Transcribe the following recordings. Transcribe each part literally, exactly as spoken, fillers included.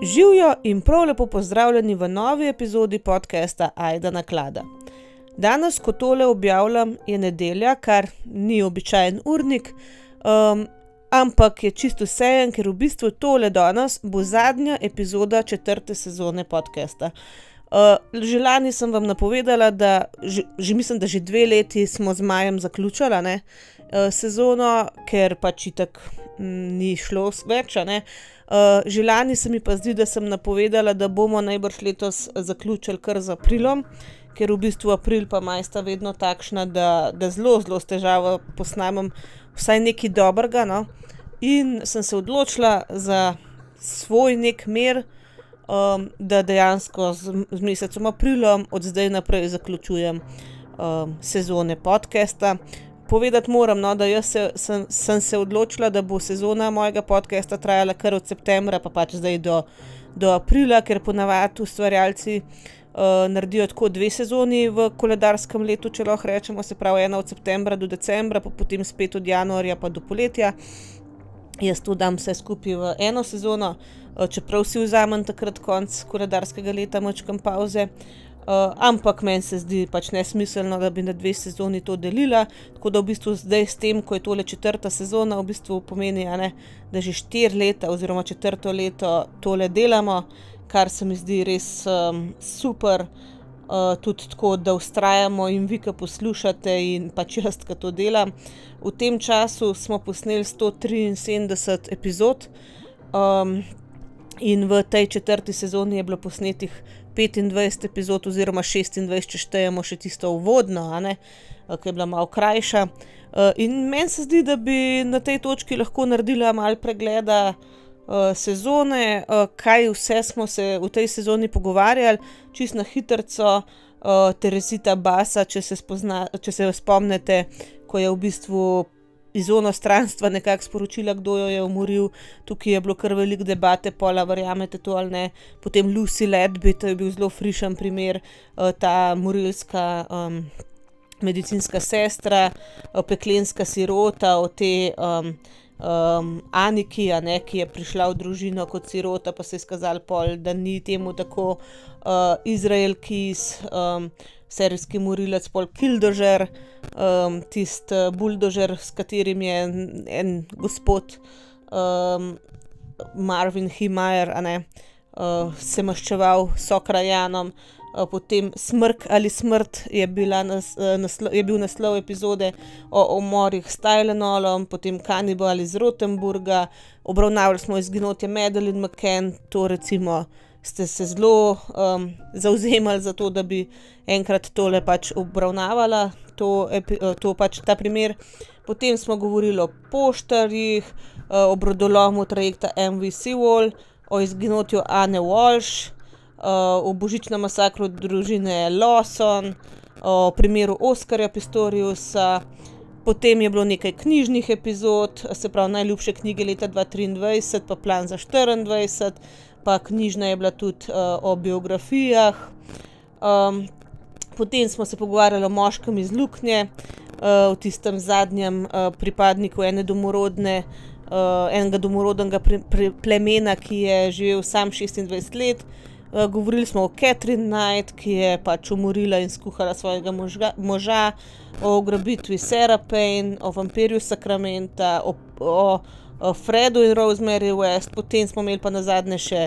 Živjo in prav lepo pozdravljeni v novi epizodi podcasta Ajda naklada. Danes, ko tole objavljam, je nedelja, kar ni običajen urnik, um, ampak je čisto vseeno, ker v bistvu tole danes bo zadnja epizoda četrte sezone podcasta. Uh, že lani sem vam napovedala, da že, že mislim, da že dve leti smo z majem zaključala ne, uh, sezono, ker pač itak m, ni šlo več, ne. Uh, že lani se mi pa zdi, da sem napovedala, da bomo najbrž letos zaključili kar z aprilom, ker v bistvu april pa maj sta vedno takšna, da, da zelo, zelo s težavo posnamem vsaj nekaj dobrega, no. In sem se odločila za svoj nek mer, um, da dejansko z, z mesecom aprilom od zdaj naprej zaključujem um, sezone podcasta. Povedati moram, no, da jaz se, sem, sem se odločila, da bo sezona mojega podcasta trajala kar od septembra, pa pač zdaj do, do aprila, ker ponavadi ustvarjalci uh, naredijo tako dve sezoni v koledarskem letu, če lahko rečemo, se pravi ena od septembra do decembra, pa potem spet od januarja pa do poletja. Jaz to dam vse skupaj v eno sezono, uh, čeprav si vzamem takrat konc koledarskega leta mačkam pavze. Uh, ampak meni se zdi pač nesmiselno, da bi na dve sezoni to delila, tako da v bistvu zdaj s tem, ko je tole četrta sezona, v bistvu pomeni, a ne, da že štiri leta oziroma četrto leto tole delamo, kar se mi zdi res um, super, uh, tudi tako, da vztrajamo in vi, ki poslušate in pač jaz, ki to delam. V tem času smo posneli sto triinsedemdeset epizod um, in v tej četrti sezoni je bilo posnetih petindvajset epizod oziroma šestindvajset, če štejemo še tisto uvodno, a ne, ki je bila malo krajša. In meni se zdi, da bi na tej točki lahko naredila malo pregleda sezone, kaj vse smo se v tej sezoni pogovarjali, čisto na hitrco. Teresita Basa, če se, spozna, če se spomnite, ko je v bistvu iz onostranstva nekako sporočila, kdo jo je umoril. Tukaj je bilo kar veliko debate, pola verjamete to ali ne. Potem Lucy Ledby, to je bil zelo frišen primer, ta morilska um, medicinska sestra, peklenska sirota, o te um, um, Aniki, a ne, ki je prišla v družino kot sirota, pa se je skazalo pol, da ni temu tako. Uh, Izrael Keys, um, serijski morilec, pol Killdozer, um, tisti buldožer, s katerim je en, en gospod um, Marvin Heemeyer, a ne, uh, se maščeval sokrajanom. Uh, potem Smrk ali smrt je, bila nas, uh, naslo, je bil naslov epizode o umorih s Tylenolom, potem Kanibal iz Rotenburga, obravnavali smo izginotje Madeleine McCann, to recimo ste se zelo um, zavzemali za to, da bi enkrat tole pač obravnavala, to, to pač ta primer. Potem smo govorili o poštarjih, o brodolomu trajekta M V Sewol, o izginotju Anne Walsh, o božičnem masakru družine Lawson, o primeru Oskarja Pistoriusa. Potem je bilo nekaj knjižnih epizod, se pravi najljubše knjige leta dva tisoč triindvajset, pa plan za štiriindvajset, pa knjižna je bila tudi uh, o biografijah. Um, potem smo se pogovarjali o moškem iz Luknje, uh, v tistem zadnjem uh, pripadniku ene domorodne, uh, enega domorodnega pre, pre, plemena, ki je živel sam šestindvajset let. Uh, govorili smo o Catherine Knight, ki je pač umorila in skuhala svojega možga, moža, o ugrabitvi Sarah Payne, o vampirju Sakramenta, o, o Fredu in Rosemary West. Potem smo imeli pa nazadnje še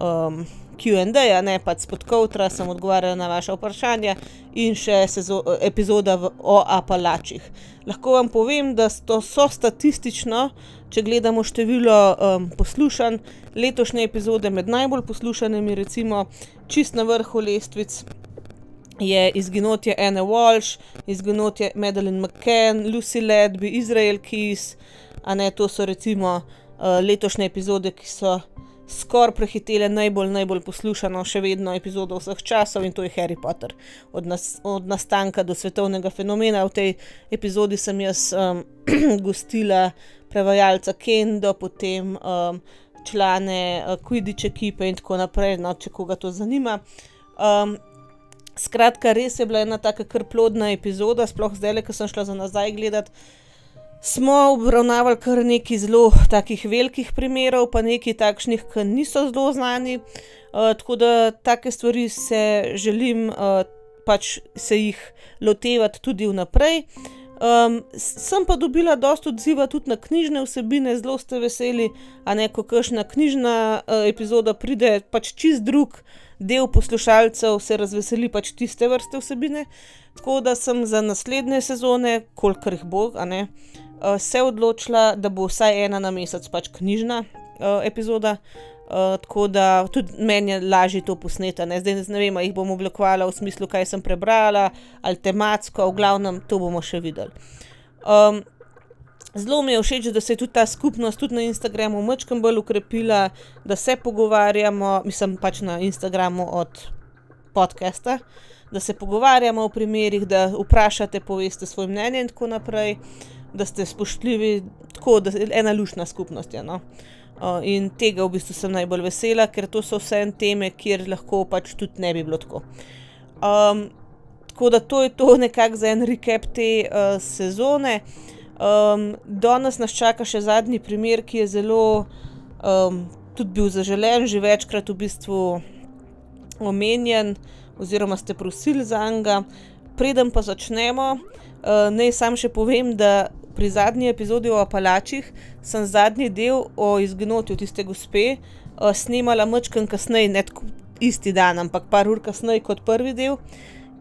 um, Q and A, ne, pač spod Koutra, sem odgovarjala na vaša vprašanja in še sezo, epizoda v, o Apalačih. Lahko vam povem, da to so statistično, če gledamo število um, poslušanj, letošnje epizode med najbolj poslušanimi, recimo čist na vrhu lestvic je izginotje Anne Walsh, izginotje Madeleine McCann, Lucy Ledby, Izrael Keys, a ne, to so recimo uh, letošnje epizode, ki so skoraj prehitele najbolj, najbolj poslušano še vedno epizodo vseh časov, in to je Harry Potter. Od, nas, od nastanka do svetovnega fenomena. V tej epizodi sem jaz um, gostila prevajalca Kendo, potem um, člane uh, Quidditch ekipe in tako naprej, no, če koga to zanima. Um, skratka, res je bila ena taka kar plodna epizoda, sploh zdajle, ko sem šla za nazaj gledati. smo obravnavali kar nekaj zelo takih velikih primerov, pa nekaj takšnih, ki niso zelo znani, uh, tako da take stvari se želim uh, pač se jih lotevati tudi vnaprej. Um, sem pa dobila dosti odziva tudi na knjižne vsebine, zelo ste veseli, a ne, ko kakšna knjižna uh, epizoda pride, pač čist drug del poslušalcev se razveseli pač tiste vrste vsebine, tako da sem za naslednje sezone, kolikor jih bo, a ne, uh, se odločila, da bo vsaj ena na mesec pač knjižna uh, epizoda. Uh, tako da tudi meni je lažje to posneti, ne, zdaj ne vem, jih bom oblikovala v smislu, kaj sem prebrala, ali tematsko, v glavnem, to bomo še videli. Um, zelo mi je všeč, da se je tudi ta skupnost tudi na Instagramu majčkeno bolj ukrepila, da se pogovarjamo, mislim pač na Instagramu od podcasta, da se pogovarjamo o primerih, da vprašate, poveste svoj mnenje in tako naprej, da ste spoštljivi, tako da je ena luštna skupnost je, no. Uh, in tega v bistvu sem najbolj vesela, ker to so vse teme, kjer lahko pač tudi ne bi bilo tako. Um, tako da to je to nekako za en recap te uh, sezone. Um, danes nas čaka še zadnji primer, ki je zelo um, tudi bil zaželen, že večkrat v bistvu omenjen, oziroma ste prosili zanj. Preden pa začnemo, uh, naj sam še povem, da pri zadnji epizodi o Apalačih sem zadnji del o izginotju tiste gospe uh, snemala majčkeno kasneje, ne tako isti dan, ampak par ur kasneje kot prvi del.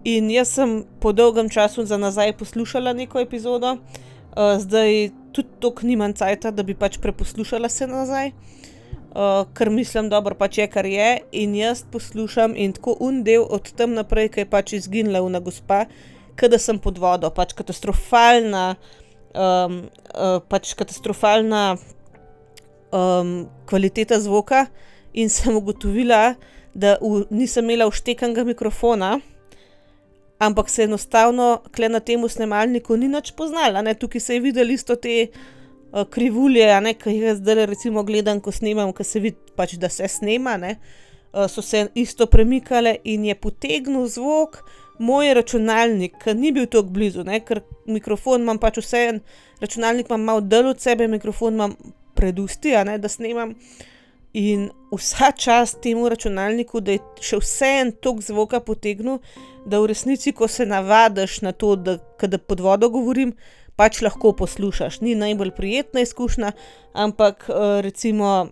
In jaz sem po dolgem času za nazaj poslušala neko epizodo, uh, zdaj tudi toliko nimam cajta, da bi pač preposlušala se nazaj, uh, ker mislim, dobro pač je, kar je, in jaz poslušam in tako un del od tam naprej, ki je pač izginila una gospa, kada sem pod vodo, pač katastrofalna Um, uh, pač katastrofalna um, kvaliteta zvoka in sem ugotovila, da v, nisem imela vštekanega mikrofona, ampak se enostavno kle na temu snemalniku ni nič poznala, ne, tukaj se je videli isto te uh, krivulje, a ne, ki jih zdaj recimo gledam, ko snemam, ko se vidi pač, da se snema, ne, uh, so se isto premikale in je potegnil zvok moj računalnik, ki ni bil tako blizu, ne, ker mikrofon imam pač vseeno, računalnik imam malo dal od sebe, mikrofon imam pred usti, a ne, da snemam, in vsa čast temu računalniku, da je še vseeno toliko zvoka potegnil, da v resnici, ko se navadiš na to, da kada pod vodo govorim, pač lahko poslušaš. Ni najbolj prijetna izkušnja, ampak recimo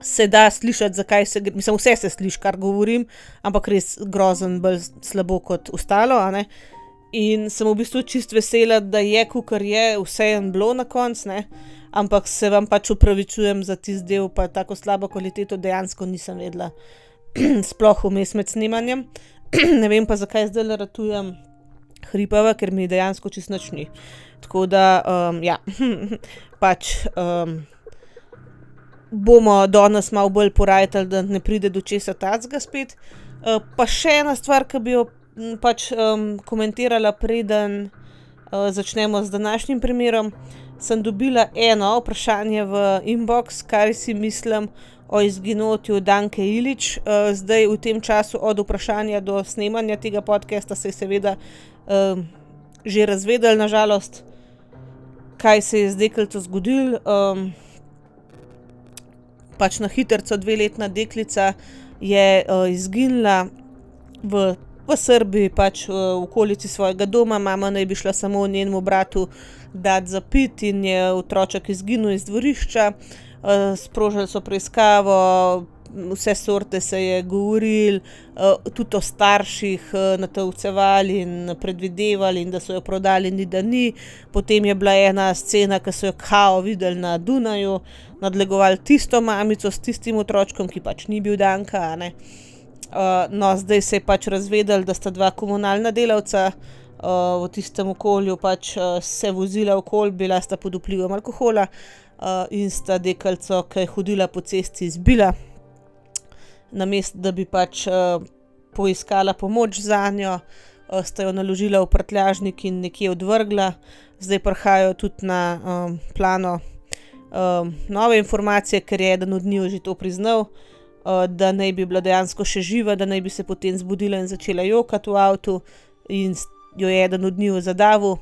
se da slišati, zakaj se, mislim, vse se sliši, kar govorim, ampak res grozen, bolj slabo kot ostalo, a ne. In sem v bistvu čist vesela, da je, kakor je, vseeno bilo na koncu, ne, ampak se vam pač upravičujem za tisti del, pa tako slabo kvaliteto dejansko nisem vedela, sploh vmes med snemanjem. Ne vem pa, zakaj zdaj ratujem hripava, ker mi dejansko čist nič ni. Tako da, um, ja, pač um, bomo danes malo bolj porajtali, da ne pride do česa tacga spet. Uh, pa še ena stvar, ki bi jo m, pač um, komentirala, preden uh, začnemo z današnjim primerom, sem dobila eno vprašanje v inbox, kar si mislim o izginotju Danke Ilić. Uh, zdaj v tem času od vprašanja do snemanja tega podcasta se je seveda uh, že razvedel, nažalost, kaj se je z deklico zgodilo. Um, pač na hitrco dveletna deklica je uh, izginila v, v Srbiji, pač uh, v okolici svojega doma. Mama naj bi šla samo njenemu bratu dati za pit in je otroček izginil iz dvorišča. Uh, sprožili so preiskavo, vse sorte se je govorili, uh, tudi o starših uh, natolcevali in predvidevali in da so jo prodali, ni da ni. Potem je bila ena scena, ki so jo kao videli na Dunaju, nadlegovali tisto mamico s tistim otročkom, ki pač ni bil Danka, a ne. Uh, no, zdaj se je pač razvedeli, da sta dva komunalna delavca uh, v tistem okolju pač uh, se vozila okoli, bila sta pod vplivom alkohola uh, in sta deklico, ki je hodila po cesti, izbila. Namesto, da bi pač uh, poiskala pomoč zanjo, uh, sta jo naložila v prtljažnik in nekje odvrgla. Zdaj prihajajo tudi na um, plano um, nove informacije, ker je eden od njiju že to priznal, uh, da naj bi bila dejansko še živa, da naj bi se potem zbudila in začela jokati v avtu in jo je eden od njiju zadavil.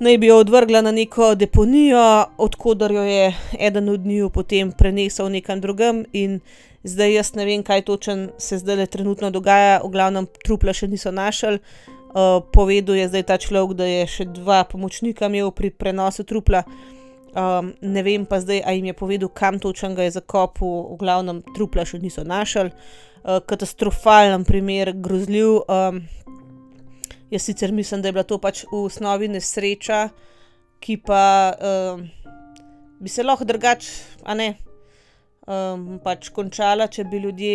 naj bi jo odvrgla na neko deponijo, odkudar jo je eden od njiju potem prenesel nekam drugam in zdaj jaz ne vem, kaj točno se zdajle trenutno dogaja, v glavnem trupla še niso našli. Uh, povedal je zdaj ta človek, da je še dva pomočnika imel pri prenosu trupla. Um, ne vem pa zdaj, a jim je povedal, kam točno ga je zakopal, v glavnem trupla še niso našli. Uh, katastrofalen primer, grozljiv. Um, jaz sicer mislim, da je bila to pač v osnovi nesreča, ki pa um, bi se lahko drugače, a ne, um, pač končala, če bi ljudje,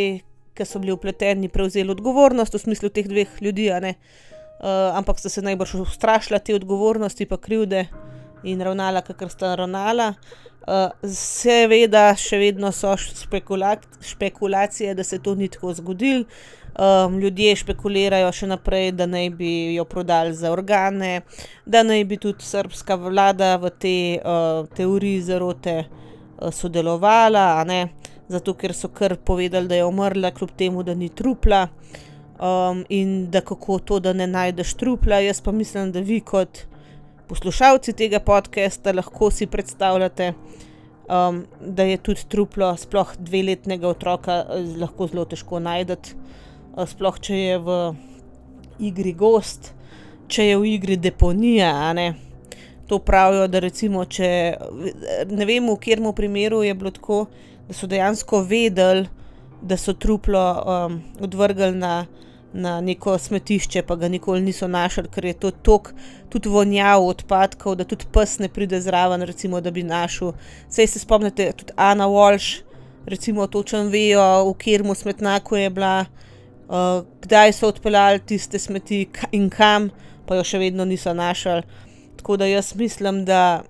ki so bili vpleteni, prevzeli odgovornost v smislu teh dveh ljudi, a ne. Uh, ampak sta se najbrž ustrašila te odgovornosti pa krivde in ravnala, kakor sta ravnala. Uh, seveda še vedno so spekula špekulacije, da se to ni tako zgodilo. Um, ljudje špekulirajo še naprej, da naj bi jo prodali za organe, da naj bi tudi srbska vlada v te uh, teoriji zarote uh, sodelovala, a ne, zato ker so kar povedali, da je umrla, kljub temu, da ni trupla. Um, in da kako to, da ne najdeš trupla. Jaz pa mislim, da vi kot poslušalci tega podcasta lahko si predstavljate, um, da je tudi truplo sploh dveletnega otroka lahko zelo težko najdeti, uh, sploh če je v igri gozd, če je v igri deponija, a ne. To pravijo, da recimo, če ne vem, v katerem primeru je bilo tako, da so dejansko vedeli, da so truplo um, odvrgli na na neko smetišče, pa ga nikoli niso našli, ker je to toliko tudi vonjav odpadkov, da tudi pes ne pride zraven, recimo, da bi našel. Saj se spomnite, tudi Ana Walsh, recimo, točno vejo, v katerem smetnjaku je bila, uh, kdaj so odpeljali tiste smeti in kam, pa jo še vedno niso našli. Tako da jaz mislim, da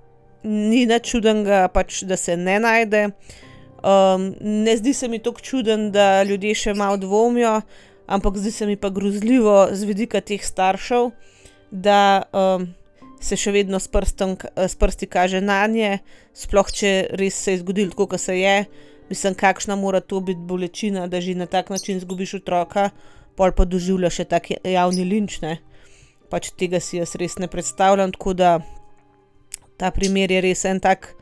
ni nič čudenega, pač, da se ne najde. Um, ne zdi se mi toliko čuden, da ljudje še malo dvomijo, ampak zdi se mi pa grozljivo z vidika teh staršev, da um, se še vedno s, prstom, s prsti kaže nanje, sploh če res se je zgodilo tako, kot se je. Mislim, kakšna mora to biti bolečina, da že na tak način zgubiš otroka, pol pa doživlja še tak javni linč, ne. Pač tega si jaz res ne predstavljam, tako da ta primer je res en tak,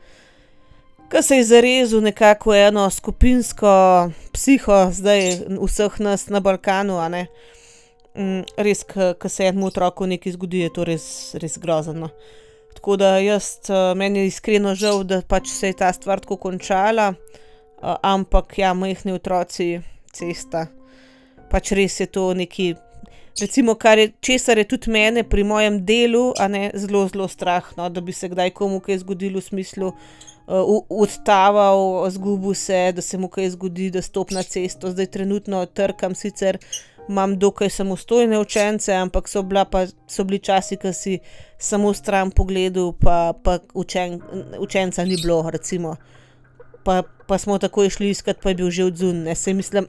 ko se je zarezal nekako eno skupinsko psiho zdaj vseh nas na Balkanu, a ne. Mm, res, ko se enemu otroku nekaj zgodi, je to res, res grozno. Tako da jaz, meni je iskreno žal, da pač se je ta stvar tako končala, ampak ja, majhni otroci, cesta, pač res je to neki, recimo, kar je, česar je tudi mene pri mojem delu, a ne, zelo, zelo strah, no, da bi se kdaj komu kaj zgodilo v smislu, Uh, odtaval, zgubil se, da se mu kaj zgodi, da stop na cesto. Zdaj trenutno trkam, sicer imam dokaj samostojne učence, ampak so, bila pa, so bili časi, ko si samo stran pogledal, pa, pa učen, učenca ni bilo, recimo. Pa, pa smo takoj šli iskat, pa je bil že odzun. Se mislim,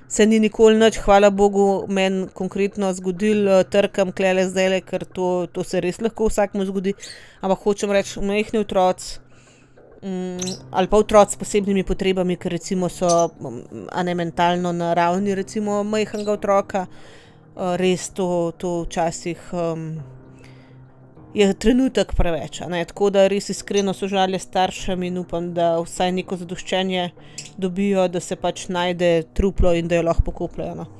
se ni nikoli nič, hvala Bogu, meni konkretno zgodil, trkam klele zdajle, ker to, to se res lahko vsakmu zgodi, ampak hočem reči, majhni otroci, Mm, ali pa otroci s posebnimi potrebami, ker recimo so a ne mentalno na ravni recimo majhnega otroka, uh, res to, to včasih um, je trenutek preveč, a ne, tako da res iskreno sožalje staršem in upam, da vsaj neko zadoščenje dobijo, da se pač najde truplo in da jo lahko pokopljajo, no.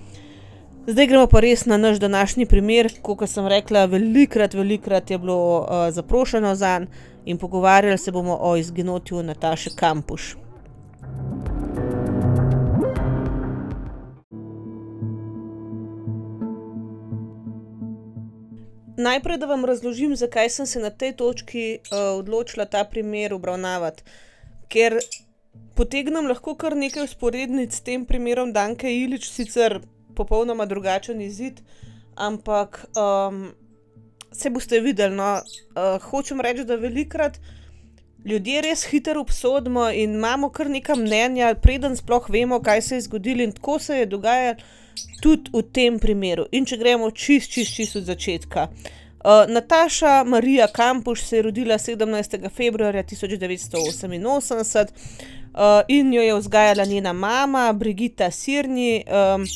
Zdaj gremo pa res na naš današnji primer, kot sem rekla, velikrat, velikrat je bilo uh, zaprošeno zanj in pogovarjali se bomo o izginotju Nataše Kampuš. Najprej, da vam razložim, zakaj sem se na tej točki uh, odločila ta primer obravnavati, ker potegnem lahko kar nekaj vzporednic s tem primerom Danke Ilić, sicer popolnoma drugačen izid, ampak um, se boste videli, no, uh, hočem reči, da velikrat ljudje res hitro obsodimo in imamo kar neka mnenja, preden sploh vemo, kaj se je zgodilo, in tako se je dogajalo tudi v tem primeru. In če gremo čist, čist, čist od začetka. Uh, Nataša Marija Kampuš se je rodila sedemnajstega februarja tisoč devetsto oseminosemdeset uh, in jo je vzgajala njena mama Brigitta Sirni, um,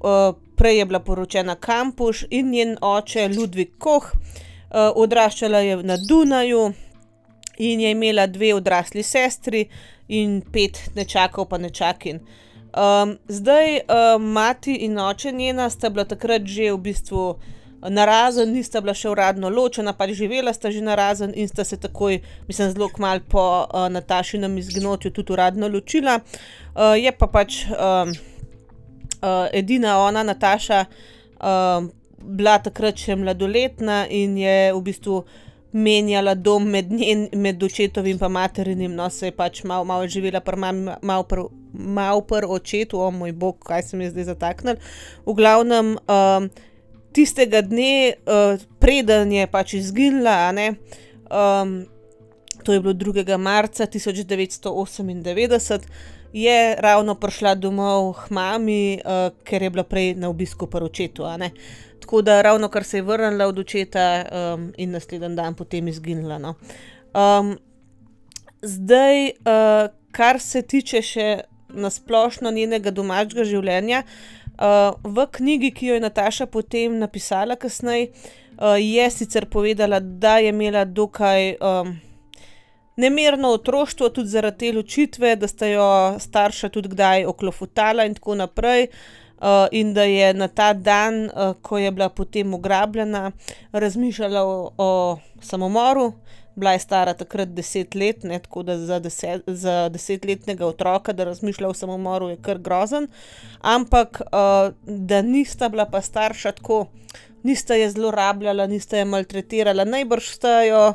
uh, prej je bila poročena Kampuš, in njen oče Ludvik Koh. odraščala je na Dunaju in je imela dve odrasli sestri in pet nečakov pa nečakinj. Um, zdaj, um, mati in oče njena sta bila takrat že v bistvu narazen, nista bila še uradno ločena, pač živela sta že narazen in sta se takoj, mislim, zelo kmalu po uh, Natašinem izginotju tudi uradno ločila. Uh, je pa pač um, uh, edina ona, Nataša, uh, bila takrat še mladoletna in je v bistvu menjala dom med, njen, med očetovim pa materinim, no, se je pač malo mal živela pri mami, malo pri mal pr očetu, o moj bog, kaj se mi je zdaj zataknilo. V glavnem, um, tistega dne, uh, preden je pač izginila, a ne, um, to je bilo drugega marca tisoč devetsto osemindevetdeset, je ravno prišla domov k mami, uh, ker je bila prej na obisku pri očetu, a ne. Tako da ravno kar se je vrnila od očeta um, in naslednji dan potem izginila, no. Um, zdaj, uh, kar se tiče še nasplošno njenega domačega življenja, uh, v knjigi, ki jo je Nataša potem napisala kasneje, uh, je sicer povedala, da je imela dokaj um, nemirno otroštvo, tudi zaradi te ločitve, da sta jo starša tudi kdaj oklofutala in tako naprej. Uh, in da je na ta dan, uh, ko je bila potem ugrabljena, razmišljala o, o samomoru. Bila je stara takrat deset let, ne, tako da za, deset, za desetletnega otroka, da razmišlja o samomoru, je kar grozen. Ampak, uh, da nista bila pa starša tako, nista je zlorabljala, nista je maltretirala, najbrž sta jo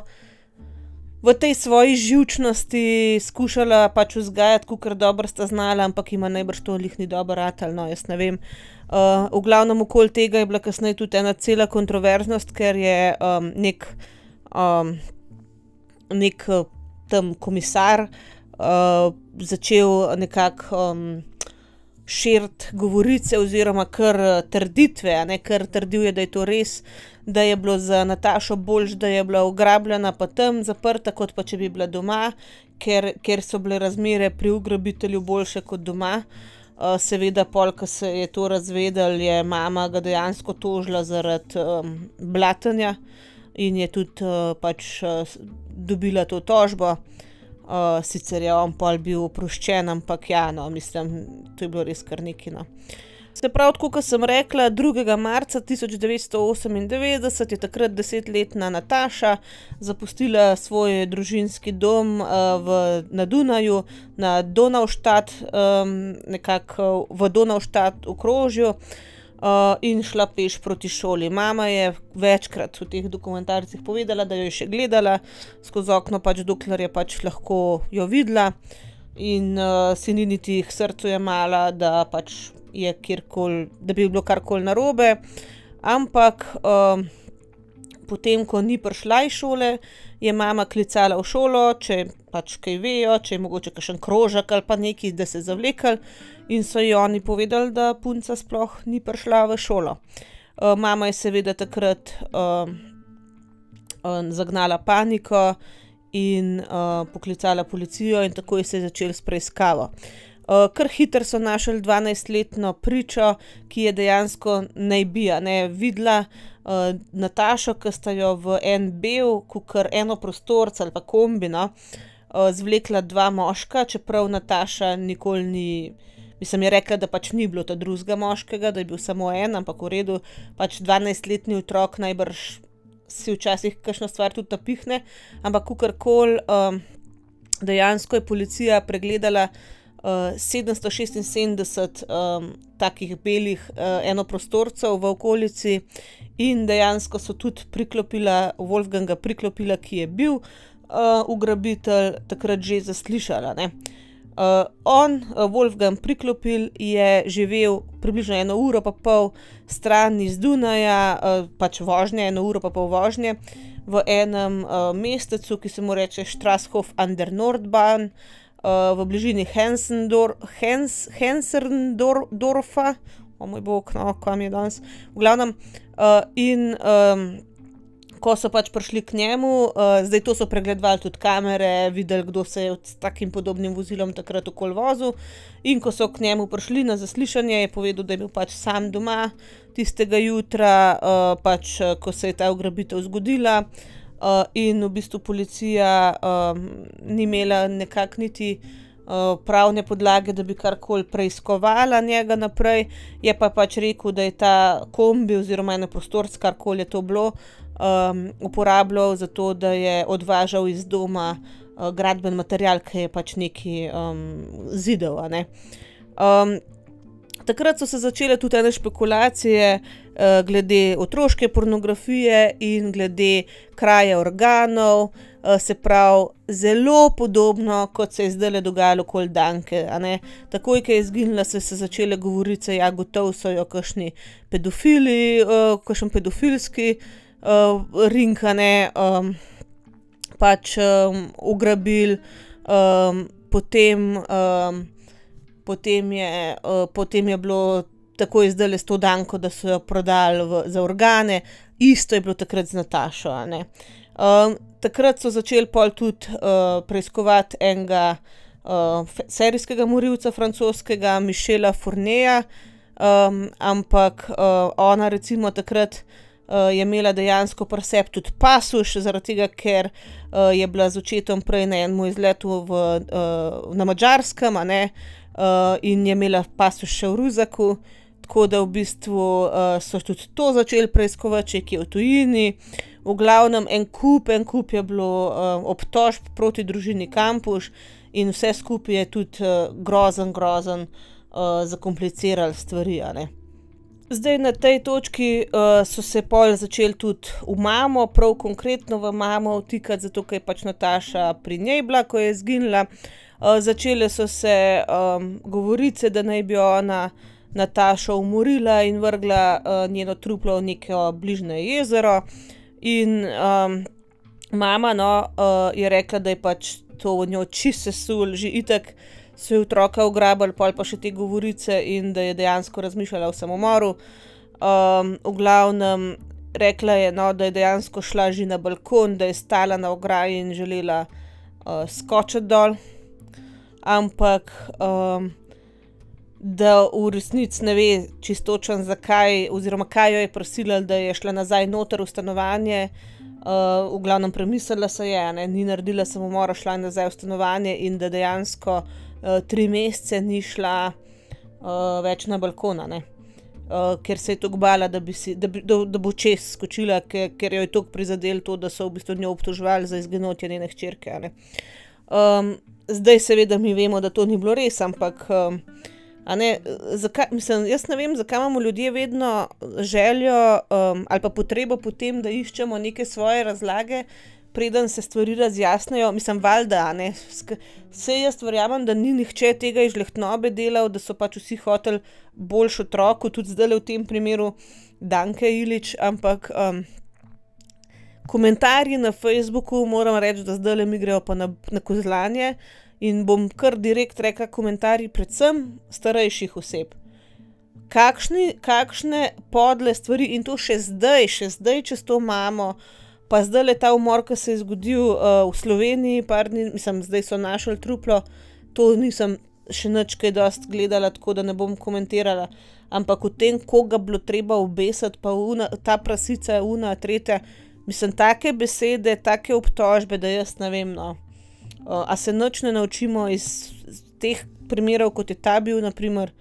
v tej svoji živčnosti skušala pač vzgajati, kakor dobro sta znala, ampak ima najbrž to lih ni dobro ratalo, no, jaz ne vem. Uh, v glavnem okoli tega je bila kasneje tudi ena cela kontroverznost, ker je um, nek, um, nek tam komisar uh, začel nekako um, širiti govorice oziroma kar trditve, a ne, kar trdil je, da je to res, da je bilo za Natašo boljš, da je bila ugrabljena pa tam zaprta, kot pa če bi bila doma, ker, ker so bile razmere pri ugrabitelju boljše kot doma. Uh, seveda, pol, ko se je to razvedel, je mama ga dejansko tožila zaradi um, blatenja in je tudi uh, pač uh, dobila to tožbo. Uh, sicer je on pol bil oproščen, ampak ja, no, mislim, to je bilo res kar nekaj, no. Se pravi, tako kot sem rekla, drugega marca tisoč devetsto osemindevetdeset je takrat desetletna Nataša zapustila svoj družinski dom uh, v, na Dunaju, na Donaustadt, um, nekako v Donaustadt okrožju, uh, in šla peš proti šoli. Mama je večkrat v teh dokumentarcih povedala, da jo je še gledala skozi okno, pač dokler je pač lahko jo videla in uh, si ni niti k srcu jemala, da pač je kjerkoli, da bi bilo karkoli narobe, ampak um, potem, ko ni prišla iz šole, je mama klicala v šolo, če pač kaj vejo, če je mogoče kakšen krožek ali pa nekaj, da se zavlekli, in so ji oni povedali, da punca sploh ni prišla v šolo. Uh, mama je seveda takrat uh, uh, zagnala paniko in uh, poklicala policijo in takoj se je začel s preiskavo. Uh, kar hitro so našli dvanajstletno pričo, ki je dejansko naj bi, ne, videla uh, Natašo, ki sta jo v en bel, kakor enoprostorc ali pa kombi, no, uh, zvlekla dva moška, čeprav Nataša nikoli ni, mislim, je rekla, da pač ni bilo ta drugega moškega, da je bil samo en, ampak v redu, pač dvanajstletni otrok najbrž si včasih kakšno stvar tudi napihne, ampak kakorkoli, um, dejansko je policija pregledala Uh, sedemsto šestinsedemdeset um, takih belih uh, enoprostorcev v okolici in dejansko so tudi priklopila, Wolfganga priklopila, ki je bil uh, ugrabitelj, takrat že zaslišala, ne. Uh, on, uh, Wolfgang Priklopil, je živel približno eno uro pa pol stran iz Dunaja, uh, pač vožnje, eno uro pa pol vožnje, v enem uh, mestecu, ki se mu reče Strasshof an der Nordbahn, Uh, v bližini Hensendor, Hens, Hensendorfa, o moj bog, no, kam je danes, v glavnem, uh, in um, ko so pač prišli k njemu, uh, zdaj to so pregledovali tudi kamere, videli, kdo se je s takim podobnim vozilom takrat okoli vozil, in ko so k njemu prišli na zaslišanje, je povedal, da je bil pač sam doma tistega jutra, uh, pač ko se je ta ugrabitev zgodila, uh, in v bistvu policija uh, ni imela nekako niti uh, pravne podlage, da bi karkoli preiskovala njega naprej, je pa pač rekel, da je ta kombi oziroma eno prostorc, karkoli je to bilo, Um, uporabljal za to, da je odvažal iz doma uh, gradben material, ki je pač neki um, zidel, a ne. Um, takrat so se začele tudi ene špekulacije uh, glede otroške pornografije in glede kraje organov, uh, se pravi zelo podobno, kot se je zdajle dogajalo okoli Danke, a ne. Takoj, ko je izginila, so se začele govorice, ja, gotovo so jo kakšni pedofili, uh, kakšen pedofilski Uh, rinkane, um, pač um, ugrabili, um, potem, um, potem, je, uh, potem je bilo takoj zdajle s to Danko, da so jo prodali v, za organe, isto je bilo takrat z Natašo, a ne. Um, takrat so začeli pol tudi uh, preiskovati enega uh, serijskega morilca francoskega, Michela Fourneja, um, ampak uh, ona recimo takrat Uh, je imela dejansko pri sebi tudi pasuš, zaradi tega, ker uh, je bila z očetom prej na enem izletu v, uh, na Madžarskem, a ne, uh, in je imela pasuš še v ruzaku, tako da v bistvu uh, so tudi to začeli preiskovati, če je v tujini. V glavnem en kup, en kup je bilo uh, obtožb proti družini Kampuš in vse skupaj je tudi uh, grozen, grozen uh, zakomplicirali stvari, a ne. Zdaj na tej točki uh, so se pol začeli tudi v mamo, prav konkretno v mamo vtikati, zato ker je pač Nataša pri njej bila, ko je izginila. Uh, začele so se um, govorice, da naj bi ona Natašo umorila in vrgla uh, njeno truplo v neko bližnje jezero. In um, mama no, uh, je rekla, da je pač to v njo čisto sesul, že itak so je otroka ugrabili, pol pa še te govorice in da je dejansko razmišljala o samomoru. Um, v glavnem rekla je, no, da je dejansko šla že na balkon, da je stala na ograji in želela uh, skočiti dol, ampak um, da v resnici ne ve čistočen zakaj oziroma kaj jo je prisililo, da je šla nazaj noter v stanovanje. Uh, v glavnem premislila se je, ne, ni naredila samomora, šla nazaj v stanovanje in da dejansko Uh, tri mesece ni šla uh, več na balkona, ne. Uh, ker se je toliko bala, da, bi si, da, bi, da, da bo čez skočila, ker, ker jo je toliko prizadelo to, da so v bistvu njo obtoževali za izginotje njene hčerke, a ne. Um, zdaj seveda mi vemo, da to ni bilo res, ampak um, a ne, zakaj, mislim, jaz ne vem, zakaj imamo ljudje vedno željo um, ali pa potrebo po tem, da iščemo neke svoje razlage, preden se stvari razjasnejo, mislim, valjda, a ne, saj jaz verjamem, da ni nihče tega iz žlehtnobe delal, da so pač vsi hoteli boljš otroku, tudi zdajle v tem primeru Danke Ilić, ampak um, komentarji na Facebooku, moram reči, da zdajle mi grejo pa na, na kozlanje in bom kar direkt rekla komentarji predvsem starejših oseb. Kakšni, kakšne podle stvari in to še zdaj, še zdaj čez to imamo. Pa zdajle ta umor, ki se je zgodil uh, v Sloveniji, par dni, mislim, zdaj so našli truplo, to nisem še nič kaj dost gledala, tako da ne bom komentirala, ampak v tem, koga bilo treba obesiti, pa una, ta prasica, una, tretja, mislim, take besede, take obtožbe, da jaz ne vem, no. Uh, a se nič ne naučimo iz, iz teh primerov, kot je ta bil, naprimer,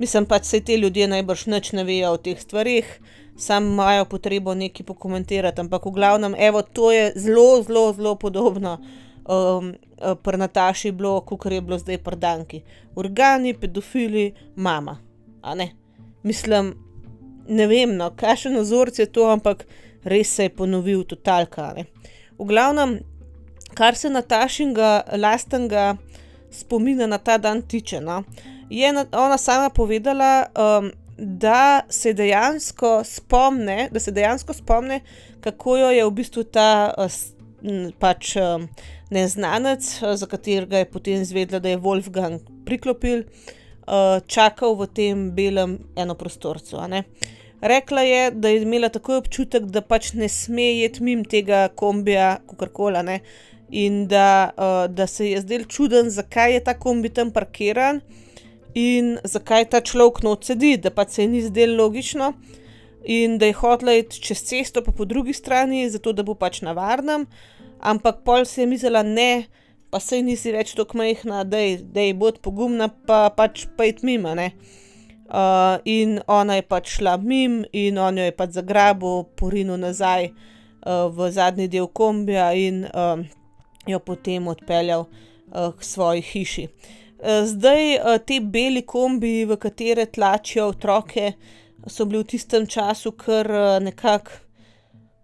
mislim, pač se te ljudje najbrž nič ne vejo o teh stvarih, sam imajo potrebo nekaj pokomentirati, ampak v glavnem, evo, to je zelo, zelo, zelo podobno um, pri Nataši bilo, kakor je bilo zdaj pri Danki. Organi, pedofili, mama, a ne. Mislim, ne vem, no, kakšen vzorec je to, ampak res se je ponovil totalka, ne. V glavnem, kar se Natašinga lastnega spomina na ta dan tiče, no, je ona sama povedala, um, da se dejansko spomne, da se dejansko spomne, kako jo je v bistvu ta pač neznanec, za katerega je potem izvedela, da je Wolfgang Priklopil, čakal v tem belem enoprostorcu, a ne. Rekla je, da je imela takoj občutek, da pač ne sme iti mimo tega kombija, kakorkoli, ne, in da, uh, da se je zdel čuden, zakaj je ta kombi tam parkiran in zakaj ta človek not sedi, da pač se ji ni zdelo logično in da je hotela iti čez cesto pa po drugi strani, zato da bo pač na varnem, ampak pol si je mislila, ne, pa saj nisi več toliko majhna, dej, dej, bod pogumna, pa pač pa iti mimo, ne. Uh, in ona je pač šla mimo in on jo je pač zagrabil, porinil nazaj uh, v zadnji del kombija in uh, jo potem odpeljal uh, k svoji hiši. Uh, zdaj uh, te beli kombi, v katere tlačijo otroke, so bili v tistem času kar uh, nekako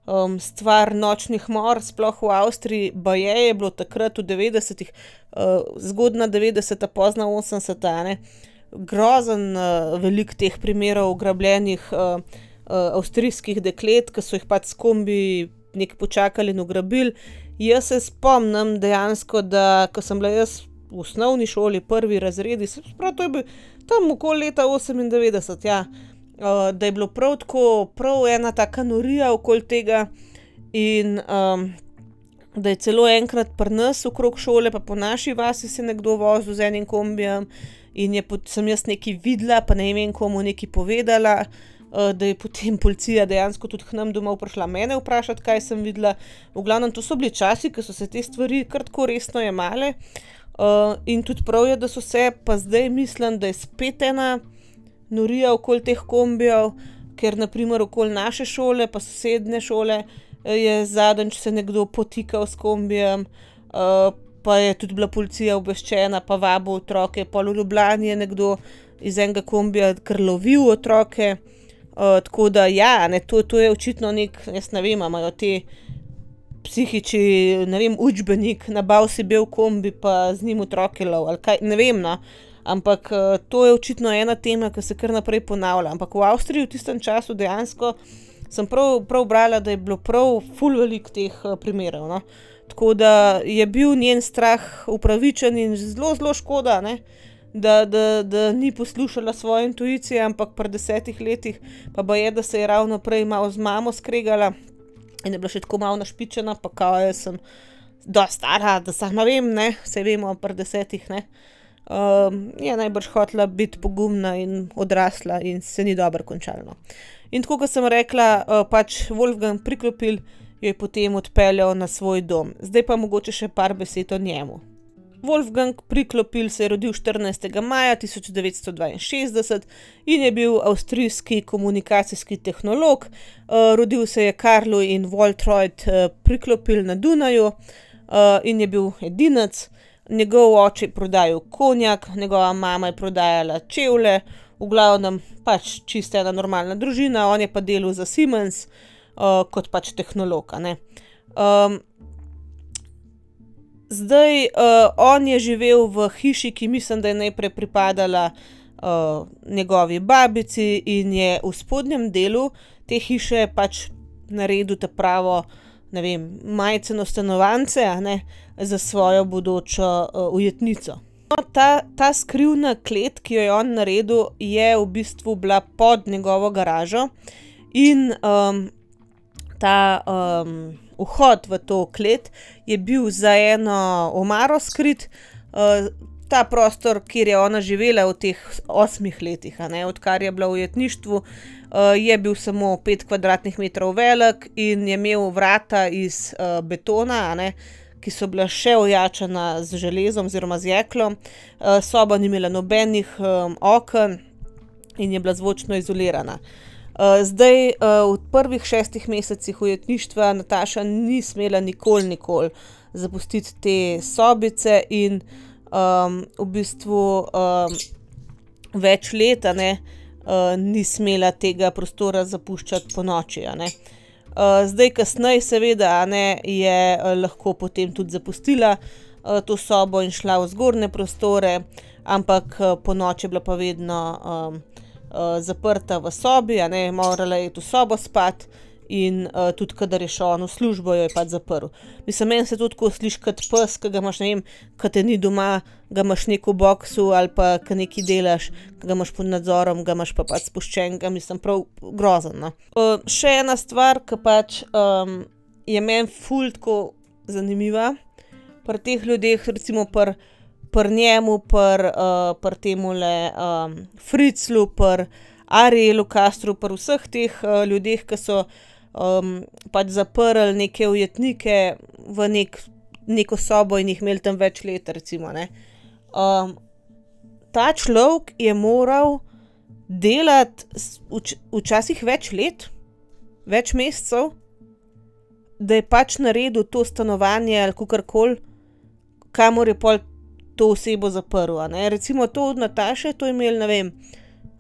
um, stvar nočnih mor, sploh v Avstriji, baje je bilo takrat v devetdesetih, uh, zgodna devetdeseta, pozna osemdeseta, ne, grozen uh, velik teh primerov ugrabljenih uh, uh, avstrijskih deklet, ki so jih pač s kombi nekaj počakali in ugrabili. Jaz se spomnim dejansko, da ko sem bila jaz v osnovni šoli, prvi razredi, se pravi, to je bil tam okoli leta osemindevetdeset, ja, uh, da je bilo prav tako, prav ena taka norija okoli tega in um, da je celo enkrat pri nas okrog šole, pa po naši vasi se nekdo vozil z enim kombijem in je pot, sem jaz nekaj videla, pa ne vem komu nekaj povedala, uh, da je potem policija dejansko tudi k nam domov prišla mene vprašati, kaj sem videla. V glavnem, to so bili časi, ko so se te stvari kar tako resno jemale, uh, in tudi prav je, da so se, pa zdaj mislim, da je spet ena norija okoli teh kombijev, ker naprimer okoli naše šole, pa sosednje šole, je zadnjič se nekdo potikal s kombijem, uh, pa je tudi bila policija obveščena, pa vabil otroke, pol v Ljubljani je nekdo iz enega kombija kar lovil otroke, uh, tako da ja, ne, to, to je očitno nek, jaz ne vem, imajo te psihiči, ne vem, učbenik, nabav si bel kombi, pa z njim otroke lov, ali kaj, ne vem, no, ampak uh, to je očitno ena tema, ki se kar naprej ponavlja, ampak v Avstriji v tistem času dejansko sem prav, prav brala, da je bilo prav ful veliko teh uh, primerov, no. Tako da je bil njen strah upravičen in zelo, zelo škoda, ne, da, da, da ni poslušala svoje intuicije, ampak pri desetih letih pa baje, da se je ravno prej malo z mamo skregala in je bila še tako malo našpičena, pa kao jaz sem dosti stara, da sama vem, ne, se vemo pri desetih, ne. Um, je najbrž hotela biti pogumna in odrasla in se ni dobro končalo, no. In tako, kot sem rekla, uh, pač Wolfgang Priklopil jo je potem odpeljal na svoj dom. Zdaj pa mogoče še par besed o njemu. Wolfgang Priklopil se je rodil štirinajstega maja tisoč devetsto dvainšestdeset in je bil avstrijski komunikacijski tehnolog. Uh, rodil se je Karlu in Waltraud uh, Priklopil na Dunaju uh, in je bil edinec. Njegov oče je prodajal konjak, njegova mama je prodajala čevlje, v glavnem pač čisto ena normalna družina, on je pa delal za Siemens, Uh, kot pač tehnolog, ne. Um, zdaj, uh, on je živel v hiši, ki mislim, da je najprej pripadala uh, njegovi babici in je v spodnjem delu te hiše pač naredil ta pravo, ne vem, majceno stanovance, a ne, za svojo bodočo uh, ujetnico. No, ta, ta skrivna klet, ki jo je on naredil, je v bistvu bila pod njegovo garažo in um, ta um, vhod v to klet je bil za eno omaro skrit, uh, ta prostor, kjer je ona živela v teh osmih letih, a ne, odkar je bila v ujetništvu, uh, je bil samo pet kvadratnih metrov velik in je imel vrata iz uh, betona, a ne, ki so bila še ojačana z železom oziroma z jeklom, uh, soba ni imela nobenih um, oken in je bila zvočno izolirana. Uh, zdaj, uh, v prvih šestih mesecih ujetništva Nataša ni smela nikoli, nikoli zapustiti te sobice in um, v bistvu um, več let, a ne, uh, ni smela tega prostora zapuščati po noči, a ne. Uh, zdaj, kasneje seveda, a ne, je uh, lahko potem tudi zapustila uh, to sobo in šla v zgornje prostore, ampak uh, po noči je bila pa vedno um, Uh, zaprta v sobi, a ne, morala je v sobo spat in uh, tudi, kadar je šel on v službo, jo je pač zaprl. Mislim, meni se to tako sliši kot pes, ki ga imaš, ne vem, ki te ni doma, ga imaš neko v boksu ali pa ki nekaj delaš, ki ga imaš pod nadzorom, ga imaš pa pač spuščenega, mislim, prav grozen, no. Uh, še ena stvar, ki pač um, je meni ful tako zanimiva pri teh ljudeh, recimo pri pri njemu, pri uh, pri temule um, Fritzlu, pri Arielu Castru, pri vseh teh uh, ljudeh, ki so um, pač zaprli neke ujetnike v nek, neko sobo in jih imeli tam več let, recimo, ne. Um, ta človek je moral delati vč, včasih več let, več mesecev, da je pač naredil to stanovanje ali kakorkoli, kamor je pol to osebo zaprl, a ne. Recimo to od Nataše, to je imel, ne vem,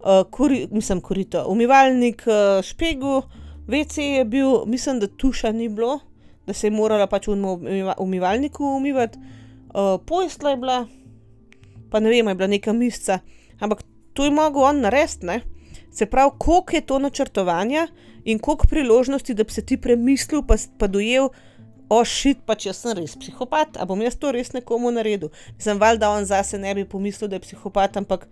Uh, kuri, mislim, korito, umivalnik, uh, špegu, ve ce je bil, mislim, da tuša ni bilo, da se je morala pač v umiva, umivalniku umivati, uh, postelja je bila, pa ne vem, je bila neka misca, ampak to je mogel on narediti, ne. Se pravi, koliko je to načrtovanja in koliko priložnosti, da bi se ti premislil, pa, pa dojel, o, shit, pač jaz sem res psihopat, a bom jaz to res nekomu naredil. Mislim, valjda on zase ne bi pomislil, da je psihopat, ampak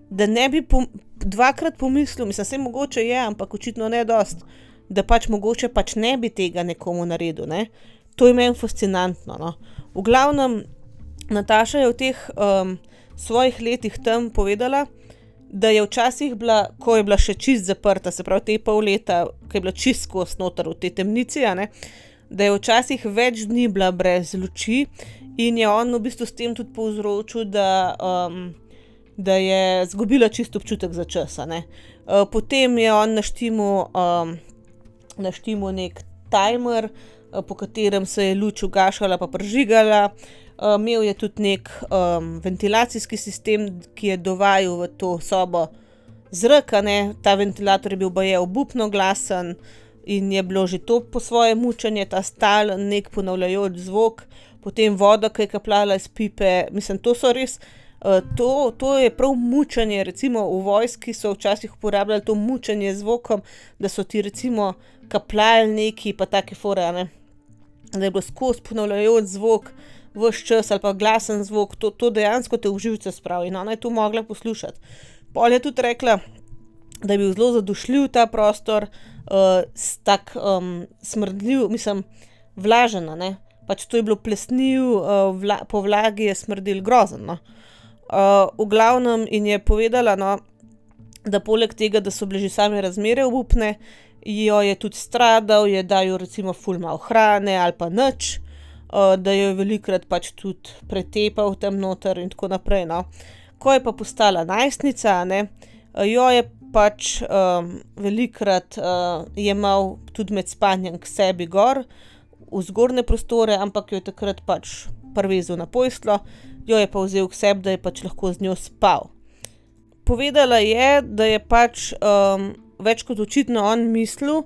da ne bi pom dvakrat pomislil, mislim, se mogoče je, ampak očitno ne dost, da pač mogoče pač ne bi tega nekomu naredil, ne. To je meni fascinantno, no. V glavnem, Nataša je v teh um, svojih letih tam povedala, da je včasih bila, ko je bila še čist zaprta, se pravi te pol leta, ko je bila čist skozi noter v tej temnici, a ne, da je včasih več dni bila brez luči in je on v bistvu s tem tudi povzročil, da um, da je zgubila čisto občutek za čas, a ne. Uh, potem je on naštimal um, naštimal nek timer, uh, po katerem se je luč ugašala pa prižigala. Uh, imel je tudi nek um, ventilacijski sistem, ki je dovajal v to sobo zrak, a ne. Ta ventilator je bil baje obupno glasen in je bilo že to po svoje mučenje, ta stalen nek ponavljajoč zvok, potem voda, ki je kapljala iz pipe, mislim, to so res Uh, to, to je prav mučenje, recimo v vojski so včasih uporabljali to mučenje z zvokom, da so ti recimo kapljali neki pa take fore, a ne, da je bilo skozi ponavljajoč zvok ves čas ali pa glasen zvok, to, to dejansko te v živce spravi in ona je to mogla poslušati. Pol je tudi rekla, da je bil zelo zadušljiv ta prostor, uh, tak um, smrdljiv, mislim, vlažen, a ne, pač to je bilo plesniv, uh, vla, po vlagi je smrdel grozen, no. Uh, v glavnem in je povedala, no, da poleg tega, da so bile že same razmere obupne, jo je tudi stradal, je dal recimo ful malo hrane ali pa nič, uh, da jo je velikrat pač tudi pretepal tam noter in tako naprej, no. Ko je pa postala najstnica, ne, jo je pač um, velikrat uh, jemal tudi med spanjem k sebi gor, v zgornje prostore, ampak jo je takrat pač privezal na posteljo, jo je pa vzel k sebi, da je pač lahko z njo spal. Povedala je, da je pač um, več kot očitno on mislil,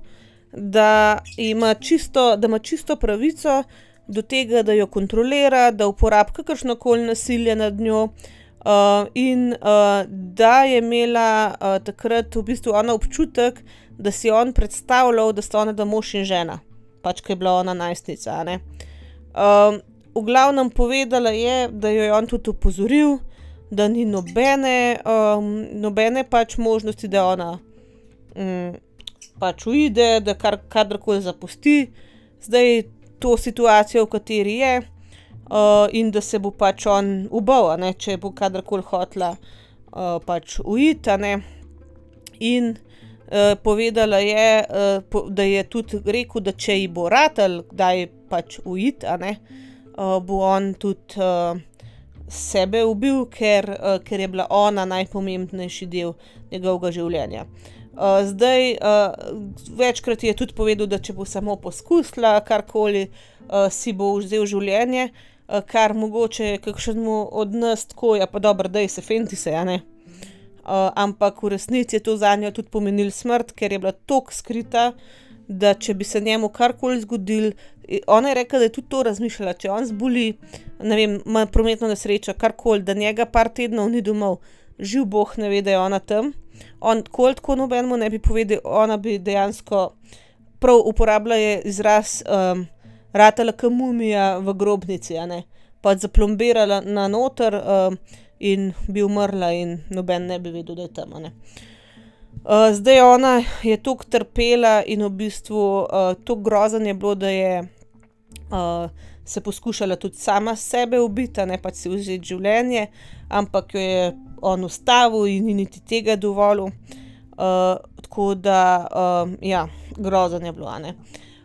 da ima čisto, da ima čisto pravico do tega, da jo kontrolira, da uporabi kakršnokoli nasilje nad njo, uh, in uh, da je imela uh, takrat v bistvu ona občutek, da si on predstavljal, da sta ona da mož in žena, pač ko je bila ona najstnica, a ne. Um, V glavnem povedala je, da jo je on tudi opozoril, da ni nobene, um, nobene pač možnosti, da ona um, pač uide, da kar, kadarkoli zapusti zdaj to situacijo, v kateri je, uh, in da se bo pač on ubal, a ne, če bo kadarkoli hotela uh, pač uiti, a ne. In uh, povedala je, uh, po, da je tudi rekel, da če ji bo ratalo kdaj pač uiti, a ne, Uh, bo on tudi uh, sebe ubil, ker, uh, ker je bila ona najpomembnejši del njegovega življenja. Uh, zdaj, uh, večkrat je tudi povedal, da če bo samo poskusila karkoli, uh, si bo vzel življenje, uh, kar mogoče kakšnemu od nas tako, ja pa dobro, daj se fenti se, a ne. Uh, ampak v resnici je to zanjo tudi pomenil smrt, ker je bila toliko skrita, da če bi se njemu karkoli zgodil, ona je rekla, da je tudi to razmišljala, če on zboli, ne vem, ima prometno nesrečo, karkoli, da njega par tednov ni domov, živ Bog ne ve, da je ona tam, on kol tako nobenemu ne bi povedal, ona bi dejansko prav uporabila je izraz um, ratala ke mumija v grobnici, a ne. Pač zaplombirala na noter um, in bi umrla in noben ne bi vedel, da je tam, a ne. Uh, zdaj ona je toliko trpela in v bistvu uh, toliko grozno je bilo, da je uh, se poskušala tudi sama sebe ubiti, a ne, pač si vzeti življenje, ampak jo je on ustavil in ni niti tega dovolil. Uh, tako da, um, ja, grozno je bilo, a ne.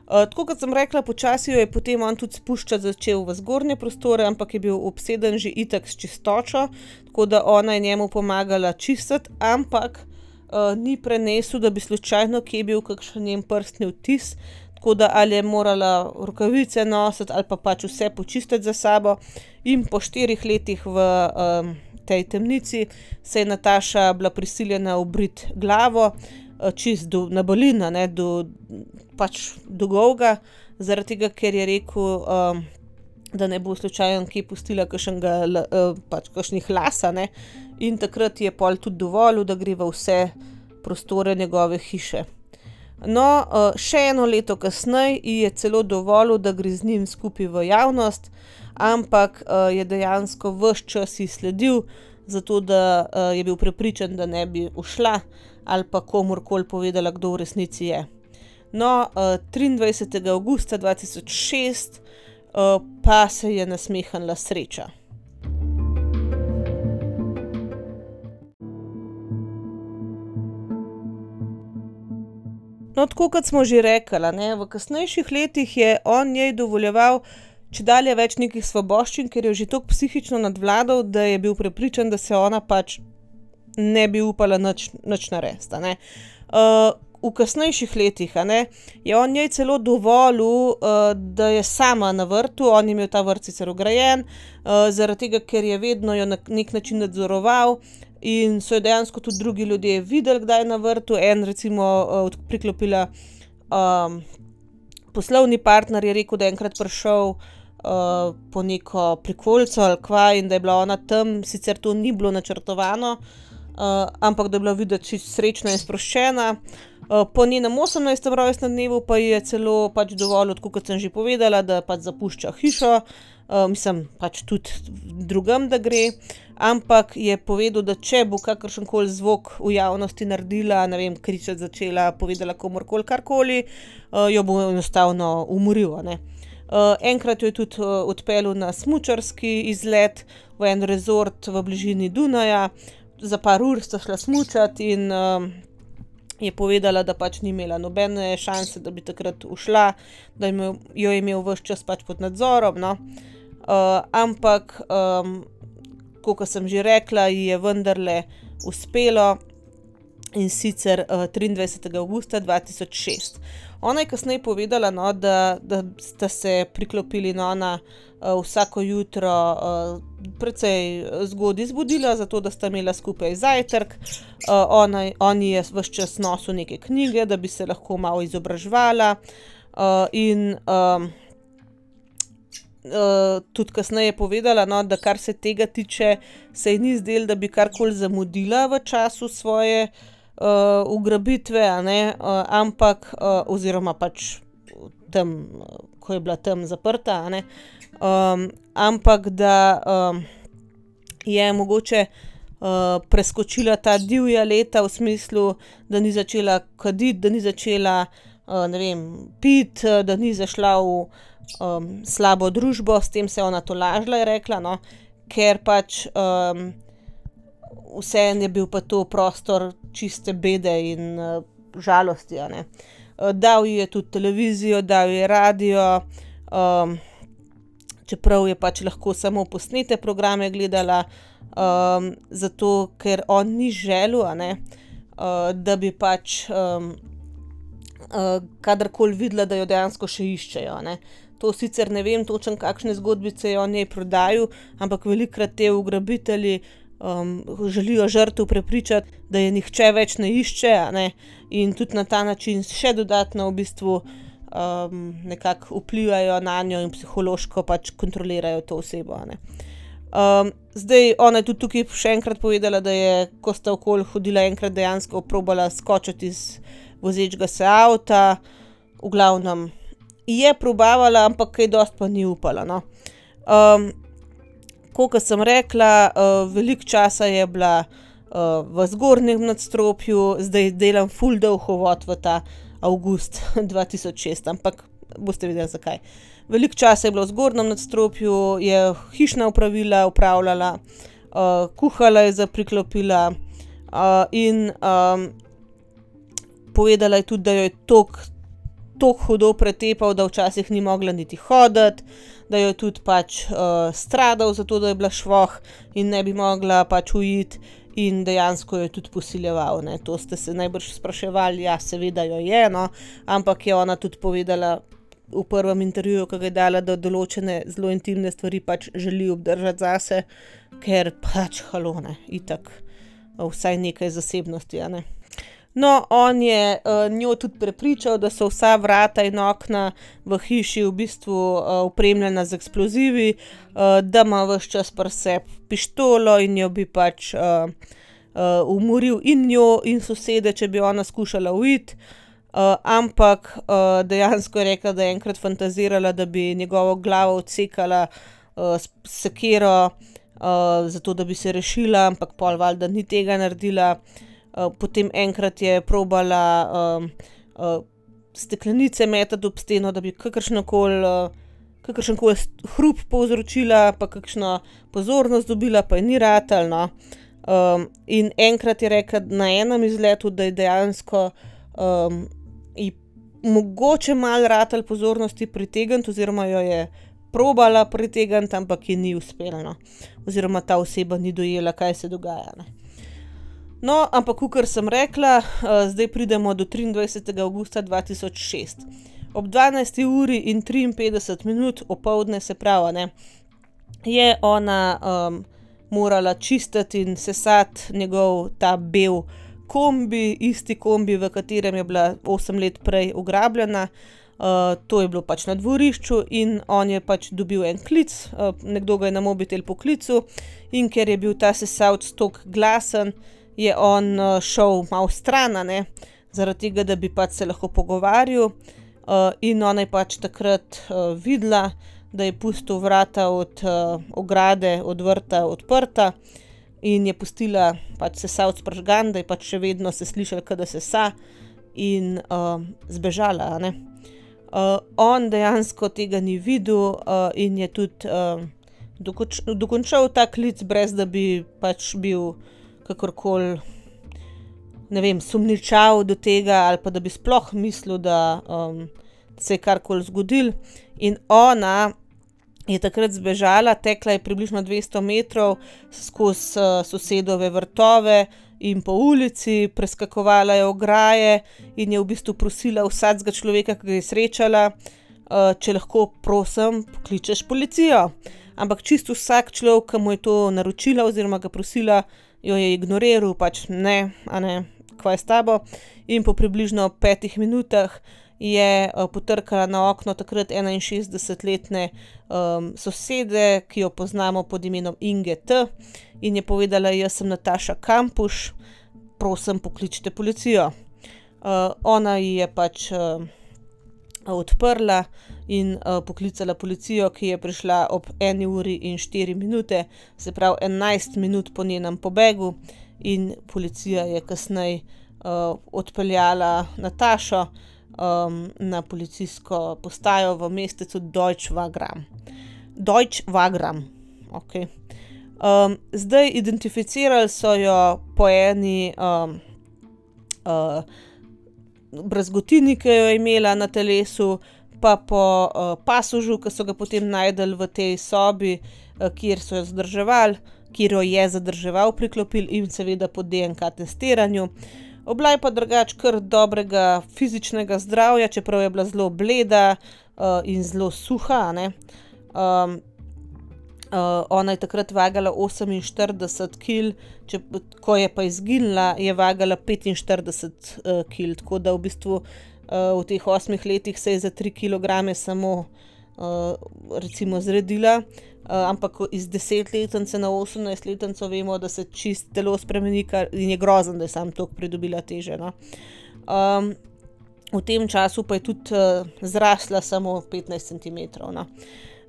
Uh, tako kot sem rekla, počasi jo je potem on tudi spuščati začel v zgornje prostore, ampak je bil obseden že itak s čistočo, tako da ona je njemu pomagala čistiti, ampak uh, ni prenesel, da bi slučajno kje bil kakšen njen prstni odtis, tako da ali je morala rokavice nositi ali pa pač vse počistiti za sabo. In po štirih letih v um, tej temnici se je Nataša bila prisiljena obriti glavo, uh, čist do, na balina, ne, do, pač do golga, zaradi tega, ker je rekel, um, da ne bo slučajno kje pustila kakšnega, uh, pač kakšnih las, a ne. In takrat je pol tudi dovolil, da gre v vse prostore njegove hiše. No, še eno leto kasneje ji je celo dovolil, da gre z njim skupaj v javnost, ampak je dejansko ves čas ji sledil, zato da je bil prepričan, da ne bi ušla ali pa komurkoli povedala, kdo v resnici je. No, triindvajsetega avgusta dva tisoč šest pa se je nasmehnila sreča. No, tako kot smo že rekli, ne, v kasnejših letih je on njej dovoljeval čedalje več nekih svoboščin, ker je že toliko psihično nadvladal, da je bil prepričan, da se ona pač ne bi upala nič, nič narediti, a ne. Uh, v kasnejših letih, a ne, je on njej celo dovolil, uh, da je sama na vrtu, on je imel ta vrt sicer ograjen, uh, zaradi tega, ker je vedno jo na nek način nadzoroval, in so jo dejansko tudi drugi ljudje videli, kdaj je na vrtu. En recimo uh, priklopila um, poslovni partner je rekel, da je enkrat prišel uh, po neko prikolico ali kva in da je bila ona tam, sicer to ni bilo načrtovano, uh, ampak da je bila videti čisto srečna in sproščena. Uh, po njenem osemnajstem rojstnem dnevu pa ji je celo pač dovolil, tako kot sem že povedala, da pač zapušča hišo, uh, mislim pač tudi drugam, da gre. Ampak je povedal, da če bo kakršenkoli zvok v javnosti naredila, ne vem, kričati začela, povedala komurkoli karkoli, uh, jo bo enostavno umoril, a ne. Uh, enkrat jo je tudi uh, odpeljal na smučarski izlet v en rezort v bližini Dunaja, za par ur sta šla smučati in uh, je povedala, da pač ni imela nobene šanse, da bi takrat ušla, da imel, jo je imel ves čas pač pod nadzorom, no. Uh, ampak um, kot sem že rekla, ji je vendarle uspelo, in sicer uh, triindvajsetega avgusta dva tisoč šest. Ona je kasneje povedala, no, da, da sta se priklopili, no, ona uh, vsako jutro uh, precej zgodaj zbudila, zato da sta imela skupaj zajtrk. Uh, ona, on je ves čas nosil neke knjige, da bi se lahko malo izobraževala, uh, in um, Uh, tudi kasneje je povedala, no, da kar se tega tiče, se ji ni zdelo, da bi karkoli zamudila v času svoje uh, ugrabitve, a ne, uh, ampak, uh, oziroma pač tam, ko je bila tam zaprta, a ne, um, ampak da um, je mogoče uh, preskočila ta divja leta v smislu, da ni začela kaditi, da ni začela, uh, ne vem, piti, da ni zašla v Um, slabo družbo, s tem se je ona tolažila, je rekla, no, ker pač um, vseeno je bil pa to prostor čiste bede in uh, žalosti, a ne. Uh, dal ji je tudi televizijo, dal ji je radio, um, čeprav je pač lahko samo posnete programe gledala, um, zato ker on ni želel, a ne, uh, da bi pač um, uh, kadarkoli videla, da jo dejansko še iščejo, a ne. To sicer ne vem točno, kakšne zgodbice je on njej prodajal, ampak velikokrat te ugrabitelji um, želijo žrtev prepričati, da je nihče več ne išče, a ne, in tudi na ta način še dodatno v bistvu um, nekako vplivajo na njo in psihološko pač kontrolirajo to osebo, a ne. Um, zdaj, ona je tudi tukaj še enkrat povedala, da je, ko sta okoli hodila, enkrat dejansko probala skočiti iz vozečega se avta, v glavnem je probavala, ampak kaj dosti pa ni upala, no. Um, Kot sem rekla, uh, veliko časa je bila uh, v zgornjem nadstropju, zdaj delam ful dolg uvod v ta avgust dva tisoč šest, ampak boste videli, zakaj. Veliko časa je bilo v zgornjem nadstropju, je hišna opravila upravljala, uh, kuhala je zapriklopila uh, in um, povedala je tudi, da jo je tok, tok hudo pretepal, da včasih ni mogla niti hoditi, da jo je tudi pač uh, stradal zato, da je bila švoh in ne bi mogla pač uiti in dejansko jo je tudi posiljeval, ne. To ste se najbrž spraševali, ja, seveda jo je, no, ampak je ona tudi povedala v prvem intervjuju, ko ga je dala, da določene zelo intimne stvari pač želi obdržati zase, ker pač halo, ne, itak vsaj nekaj zasebnosti, a ne. No, on je uh, njo tudi prepričal, da so vsa vrata in okna v hiši v bistvu uh, opremljena z eksplozivi, uh, da ima ves čas pri sebi pištolo in jo bi pač uh, uh, umoril in njo in sosede, če bi ona skušala uiti. Uh, ampak uh, dejansko je rekla, da je enkrat fantazirala, da bi njegovo glavo odsekala uh, s sekiro, uh, zato da bi se rešila, ampak pol valjda ni tega naredila. Uh, potem enkrat je probala um, uh, steklenice metati ob steno, da bi kakršnokoli uh, kakršenkoli hrup povzročila, pa kakšno pozornost dobila, pa je ni ratalo, no. Um, in enkrat je rekla na enem izletu, da je dejansko um, ji mogoče malo ratalo pozornosti pritegniti, oziroma jo je probala pritegniti, ampak ji ni uspelo, no. Oziroma ta oseba ni dojela, kaj se dogaja, ne. No, ampak kakor sem rekla, uh, zdaj pridemo do triindvajsetega avgusta dva tisoč šest. Ob dvanajsti uri in triinpetdeset minut opoldne, se pravi, ne, je ona um, morala čistiti in sesati njegov ta bel kombi, isti kombi, v katerem je bila osem let prej ugrabljena. Uh, to je bilo pač na dvorišču in on je pač dobil en klic, uh, nekdo ga je na mobitel poklical in ker je bil ta sesalc toliko glasen, je on uh, šel malo stran, ne, zaradi tega, da bi pač se lahko pogovarjal, uh, in ona je pač takrat uh, videla, da je pustil vrata od uh, ograde, od vrta odprta in je pustila pač sesalc prižgan, da je pač še vedno se slišalo, kaj da sesa in uh, zbežala, ne. Uh, on dejansko tega ni videl uh, in je tudi uh, dokonč dokončal ta klic, brez da bi pač bil kakorkoli, ne vem, sumničav do tega ali pa da bi sploh mislil, da um, se je karkoli zgodilo. In ona je takrat zbežala, tekla je približno dvesto metrov skozi uh, sosedove vrtove in po ulici, preskakovala je ograje in je v bistvu prosila vsakega človeka, ki ga je srečala, uh, če lahko, prosim, pokličeš policijo. Ampak čisto vsak človek, ki mu je to naročila oziroma ga prosila, jo je ignoriral, pač ne, a ne, kva je s tabo. In po približno petih minutah je uh, potrkala na okno takrat enainšestdesetletne um, sosede, ki jo poznamo pod imenom Inge T. In je povedala, jaz sem Nataša Kampuš, prosim, pokličite policijo. Uh, ona ji je pač uh, odprla in uh, poklicala policijo, ki je prišla ob eni uri in štiri minute, se pravi enajst minut po njenem pobegu, in policija je kasneje uh, odpeljala Natašo um, na policijsko postajo v mestecu Deutsch-Wagram. Deutsch-Wagram, ok. Um, zdaj identificirali so jo po eni um, uh, brazgotini, ki jo je imela na telesu, pa po uh, pasožu, ki so ga potem najdel v tej sobi, uh, kjer so jo zadrževali, kjer jo je zadrževal priklopil, in seveda po D N K testiranju. Obla je pa drugače kar dobrega fizičnega zdravja, čeprav je bila zelo bleda uh, in zelo suha, ne. Um, uh, ona je takrat vagala oseminštirideset kil, če, ko je pa izginila, je vagala petinštirideset uh, kil, tako da v bistvu uh, v teh osmih letih se je za tri kilograme samo uh, recimo zredila, uh, ampak iz desetletnice na osemnajstletnico vemo, da se čist telo spremeni, kar in je grozen, da je sam toliko pridobila teže, no. Um, v tem času pa je tudi uh, zrasla samo petnajst centimetrov. No.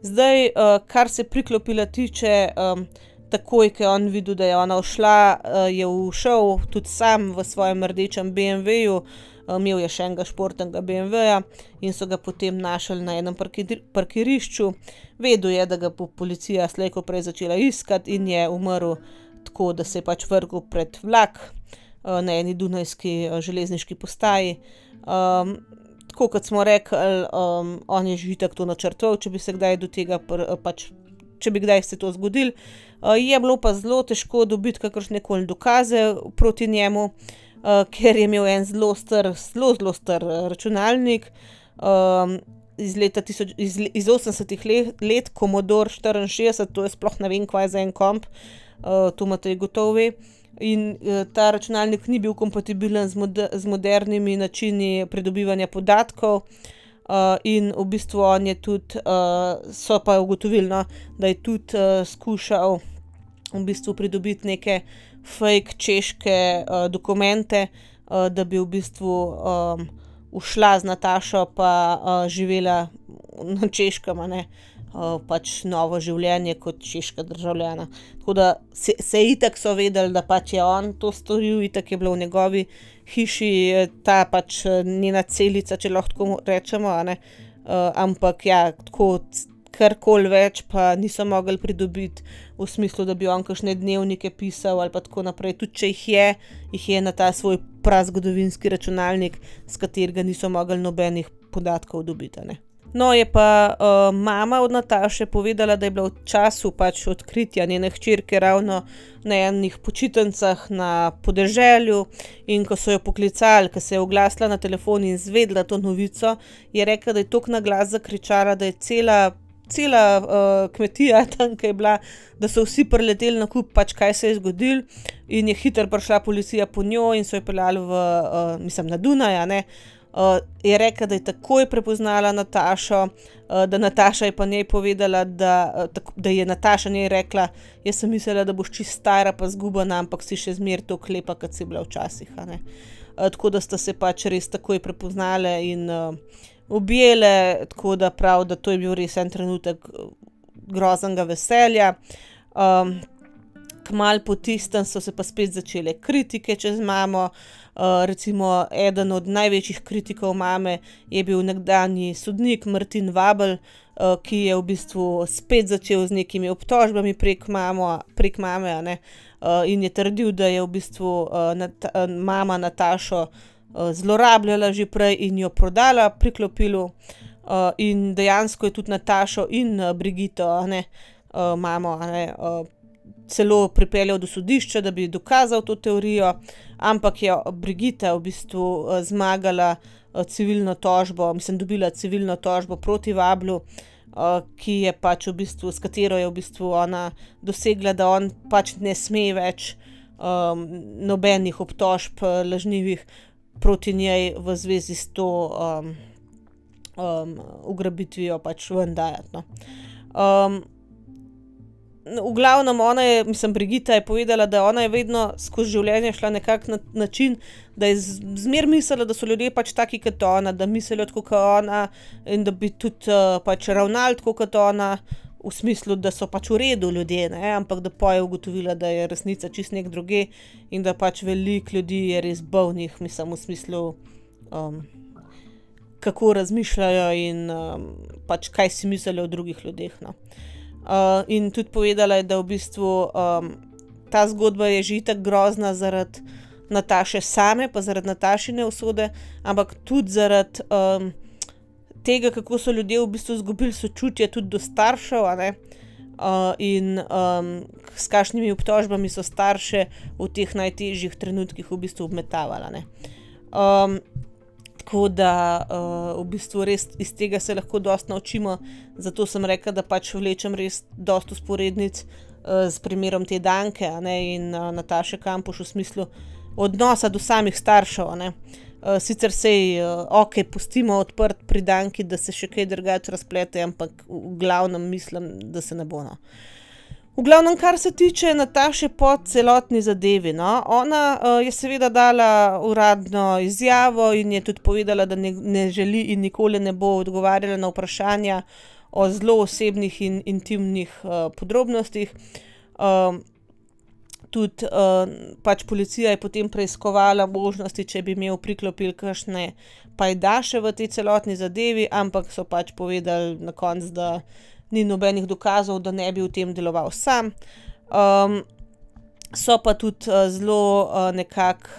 Zdaj, uh, kar se priklopila tiče, um, takoj, ko je on videl, da je ona všla, uh, je ušel tudi sam v svojem rdečem B M W-ju, uh, imel je še enega športnega B M W-ja in so ga potem našli na enem parkir parkirišču. Vedel je, da ga bo policija slej ko prej začela iskati in je umrl tako, da se je pač vrgel pred vlak uh, na eni dunajski uh, železniški postaji. Um, tako kot smo rekli, um, on je že itak to načrtoval, če bi se kdaj do tega, pr, pač, če bi kdaj se to zgodil. Uh, je bilo pa zelo težko dobiti kakršnekoli dokaze proti njemu, uh, ker je imel en zelo star, zelo, zelo star računalnik um, iz leta tisoč, iz, iz osemdesetih let, let Commodore štiriinšestdeset, to je sploh ne vem, kaj za en komp, uh, to imate gotovo ve. In uh, ta računalnik ni bil kompatibilen z, mod z modernimi načini pridobivanja podatkov uh, in v bistvu on je tudi, uh, so pa ugotovili, no, da je tudi uh, skušal v bistvu pridobiti neke fake češke uh, dokumente, uh, da bi v bistvu um, ušla z Natašo pa uh, živela na Češkem, a ne. Uh, pač novo življenje kot češka državljana. Tako da se, se itak so vedeli, da pač je on to storil, itak je bilo v njegovi hiši ta pač njena celica, če lahko tako rečemo, a ne. Uh, ampak ja, tako karkoli več pa niso mogli pridobiti v smislu, da bi on kakšne dnevnike pisal ali pa tako naprej. Tudi če jih je, jih je na ta svoj prazgodovinski računalnik, s katerega niso mogli nobenih podatkov dobiti, a ne. No, je pa uh, mama od Nataše povedala, da je bila v času pač odkritja njene hčerke ravno na enih počitnicah na podeželju in ko so jo poklicali, ko se je oglasila na telefon in izvedela to novico, je rekla, da je toliko na glas zakričala, da je cela, cela uh, kmetija tam, ki je bila, da so vsi prileteli na kup, pač kaj se je zgodilo in je hitro prišla policija po njo in so jo peljali v, uh, mislim, na Dunaj, a ne. Uh, je rekla, da je takoj prepoznala Natašo, uh, da Nataša je pa njej povedala, da, uh, tako, da je Nataša njej rekla, jaz sem mislila, da boš čist stara pa zgubana, ampak si še zmer toliko lepa, kot si bila včasih, a ne. Uh, tako da sta se pač res takoj prepoznale in uh, objele, tako da prav, da to je bil res en trenutek groznega veselja. Um, Kmalu po tistem so se pa spet začele kritike čez mamo. Uh, recimo, eden od največjih kritikov mame je bil nekdanji sodnik Martin Vabel, uh, ki je v bistvu spet začel z nekimi obtožbami prek, mamo, prek mame, a ne, uh, in je trdil, da je v bistvu uh, nat mama Natašo uh, zlorabljala že prej in jo prodala priklopilu, uh, in dejansko je tudi Natašo in uh, Brigito, a ne, uh, mamo, a ne, uh, celo pripeljal do sodišča, da bi dokazal to teorijo, ampak je Brigita v bistvu uh, zmagala uh, civilno tožbo, mislim, dobila civilno tožbo proti Vablu, uh, ki je pač v bistvu, s katero je v bistvu ona dosegla, da on pač ne sme več um, nobenih obtožb uh, lažnivih proti njej v zvezi s to um, um, ugrabitvijo pač ven dajati, no. Um, V glavnem, ona je, mislim, Brigita je povedala, da ona je vedno skozi življenje šla nekak na način, da je zmer mislila, da so ljudje pač taki kot ona, da mislijo tako kot ona in da bi tudi uh, pač ravnali tako kot ona, v smislu, da so pač v redu ljudje, ne, ampak da pa je ugotovila, da je resnica čist nek druge in da pač veliko ljudi je res bolnih, mislim, v smislu, um, kako razmišljajo in um, pač kaj si mislijo o drugih ljudeh, no. Uh, in tudi povedala je, da v bistvu um, ta zgodba je že itak grozna zaradi Nataše same, pa zaradi Natašine usode, ampak tudi zaradi um, tega, kako so ljudje v bistvu izgubili sočutje tudi do staršev, a ne, uh, in um, s kakšnimi obtožbami so starše v teh najtežjih trenutkih v bistvu obmetavali, ne. Um, Tako da uh, v bistvu res iz tega se lahko dosti naučimo, zato sem rekla, da pač vlečem res dosti usporednic uh, s primerom te Danke, a ne, in uh, Nataše Kampuš v smislu odnosa do samih staršev, a ne. Uh, sicer sej, uh, ok, pustimo odprt pri Danki, da se še kaj drugače razplete, ampak v glavnem mislim, da se ne bo, no. V glavnem, kar se tiče Nataše po celotni zadevi, no, ona uh, je seveda dala uradno izjavo in je tudi povedala, da ne, ne želi in nikoli ne bo odgovarjala na vprašanja o zelo osebnih in intimnih uh, podrobnostih. Uh, tudi uh, pač policija je potem preiskovala možnosti, če bi imel priklopil kakšne pajdaše v tej celotni zadevi, ampak so pač povedali na koncu, da ni nobenih dokazov, da ne bi v tem deloval sam. Um, so pa tudi uh, zelo uh, nekako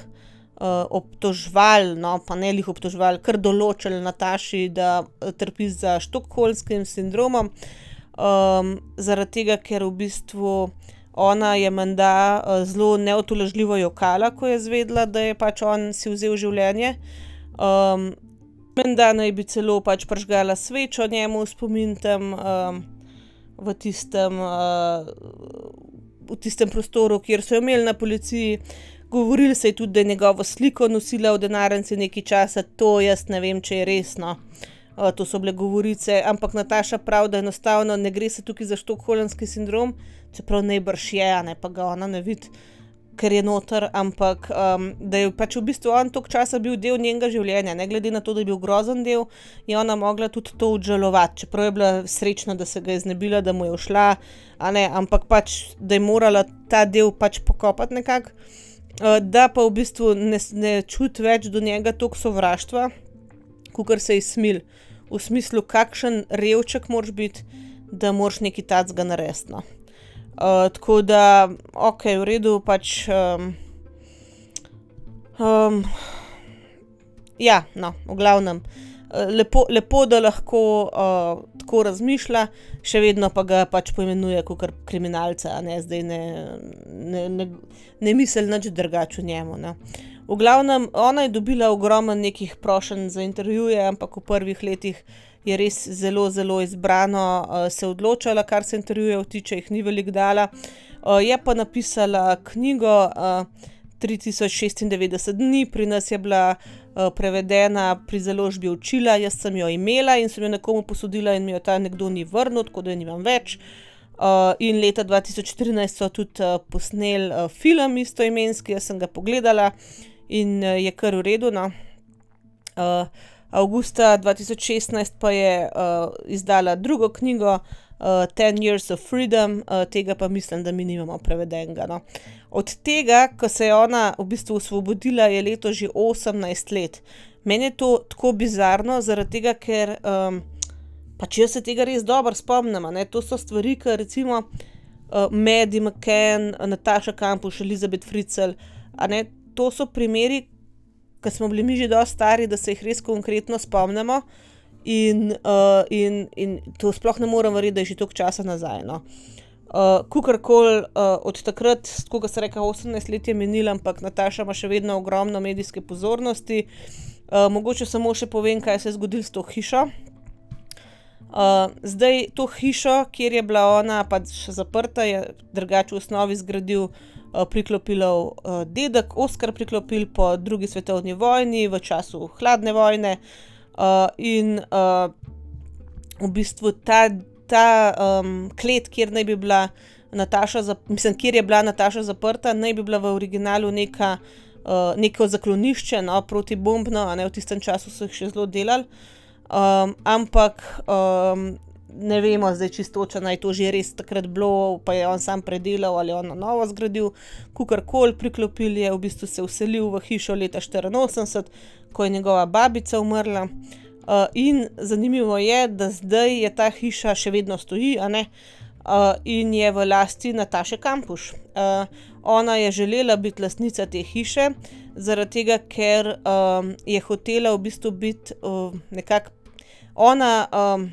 uh, obtožvali, no, pa ne lih obtožvali, kar določili Nataši, da trpi za štokholmskim sindromom, um, zaradi tega, ker v bistvu ona je menda uh, zelo neutolažljivo jokala, ko je zvedela, da je pač on si vzel življenje. Um, Menda naj bi celo pač prižgala svečo njemu v spomin tam um, v, tistem, uh, v tistem prostoru, kjer so jo imeli na policiji. Govorili se je tudi, da je njegovo sliko nosila v denarnici nekaj časa, to jaz ne vem, če je resno. Uh, to so bile govorice, ampak Nataša pravi, da enostavno ne gre se tukaj za štokholmski sindrom, čeprav najbrž je, a ne pa ga ona ne vidi, ker je noter, ampak um, da je pač v bistvu on toliko časa bil del njenega življenja, ne glede na to, da je bil grozen del, je ona mogla tudi to obžalovati, čeprav je bila srečna, da se ga je znebila, da mu je ušla, a ne, ampak pač, da je morala ta del pač pokopati nekako, uh, da pa v bistvu ne, ne čuti več do njega toliko sovraštva, kakor se je smil, v smislu, kakšen revček moraš biti, da moraš nekaj tacga narediti, no. Uh, tako da, ok, v redu, pač, um, um, ja, no, v glavnem, lepo, lepo da lahko uh, tako razmišlja, še vedno pa ga pač poimenuje kakor kriminalca, a ne, zdaj ne, ne, ne, ne misli nič drugače o njemu, ne. V glavnem, ona je dobila ogromno nekih prošenj za intervjuje, ampak v prvih letih je res zelo, zelo izbrano uh, se odločala, kar se intervjujev tiče, jih ni veliko dala. Uh, je pa napisala knjigo uh, tri tisoč šestindevetdeset dni, pri nas je bila uh, prevedena pri založbi Učila, jaz sem jo imela in sem jo nekomu posodila in mi jo ta nekdo ni vrnil, tako da jo nimam več. Uh, in leta dva tisoč štirinajst so tudi uh, posneli uh, film istoimenski, jaz sem ga pogledala in uh, je kar v redu, no. Uh, Avgusta dva tisoč šestnajst pa je uh, izdala drugo knjigo uh, Ten Years of Freedom, uh, tega pa mislim, da mi nimamo prevedenega, no. Od tega, ko se je ona v bistvu osvobodila, je leto že osemnajst let. Meni je to tako bizarno, zaradi tega, ker um, pač jaz se tega res dobro spomnim, ne. To so stvari, ki recimo uh, Maddie McCann, Nataša Kampuš, Elizabeth Fritzl, a ne, to so primeri, ko smo bili mi že dosti stari, da se jih res konkretno spomnimo in, uh, in, in to sploh ne morem verjeti, da je že toliko časa nazaj, no. Uh, Kakorkoli, uh, od takrat, tako kot se reka, osemnajst let je minilo, ampak Nataša ima še vedno ogromno medijske pozornosti. Uh, mogoče samo še povem, kaj se je zgodilo s to hišo. Uh, zdaj, to hišo, kjer je bila ona pač zaprta, je drugače v osnovi zgradil uh, Priklopilov uh, dedek, Oskar Priklopil po drugi svetovni vojni, v času hladne vojne uh, in uh, v bistvu ta, ta um, klet, kjer naj bi bila Nataša, mislim, kjer je bila Nataša zaprta, naj bi bila v originalu neka, uh, neko zaklonišče, no, protibombno, a ne, v tistem času so jih še zelo delali. Um, ampak um, ne vemo zdaj čistočno, naj to že res takrat bilo, pa je on sam predelal ali on na novo zgradil, kakorkoli. Priklopil je v bistvu se vselil v hišo leta štiriinosemdeset, ko je njegova babica umrla. Uh, in zanimivo je, da zdaj je ta hiša še vedno stoji, a ne, uh, in je v lasti Nataše Kampuš. Uh, ona je želela biti lastnica te hiše, zaradi tega, ker um, je hotela v bistvu biti uh, nekako Ona, um,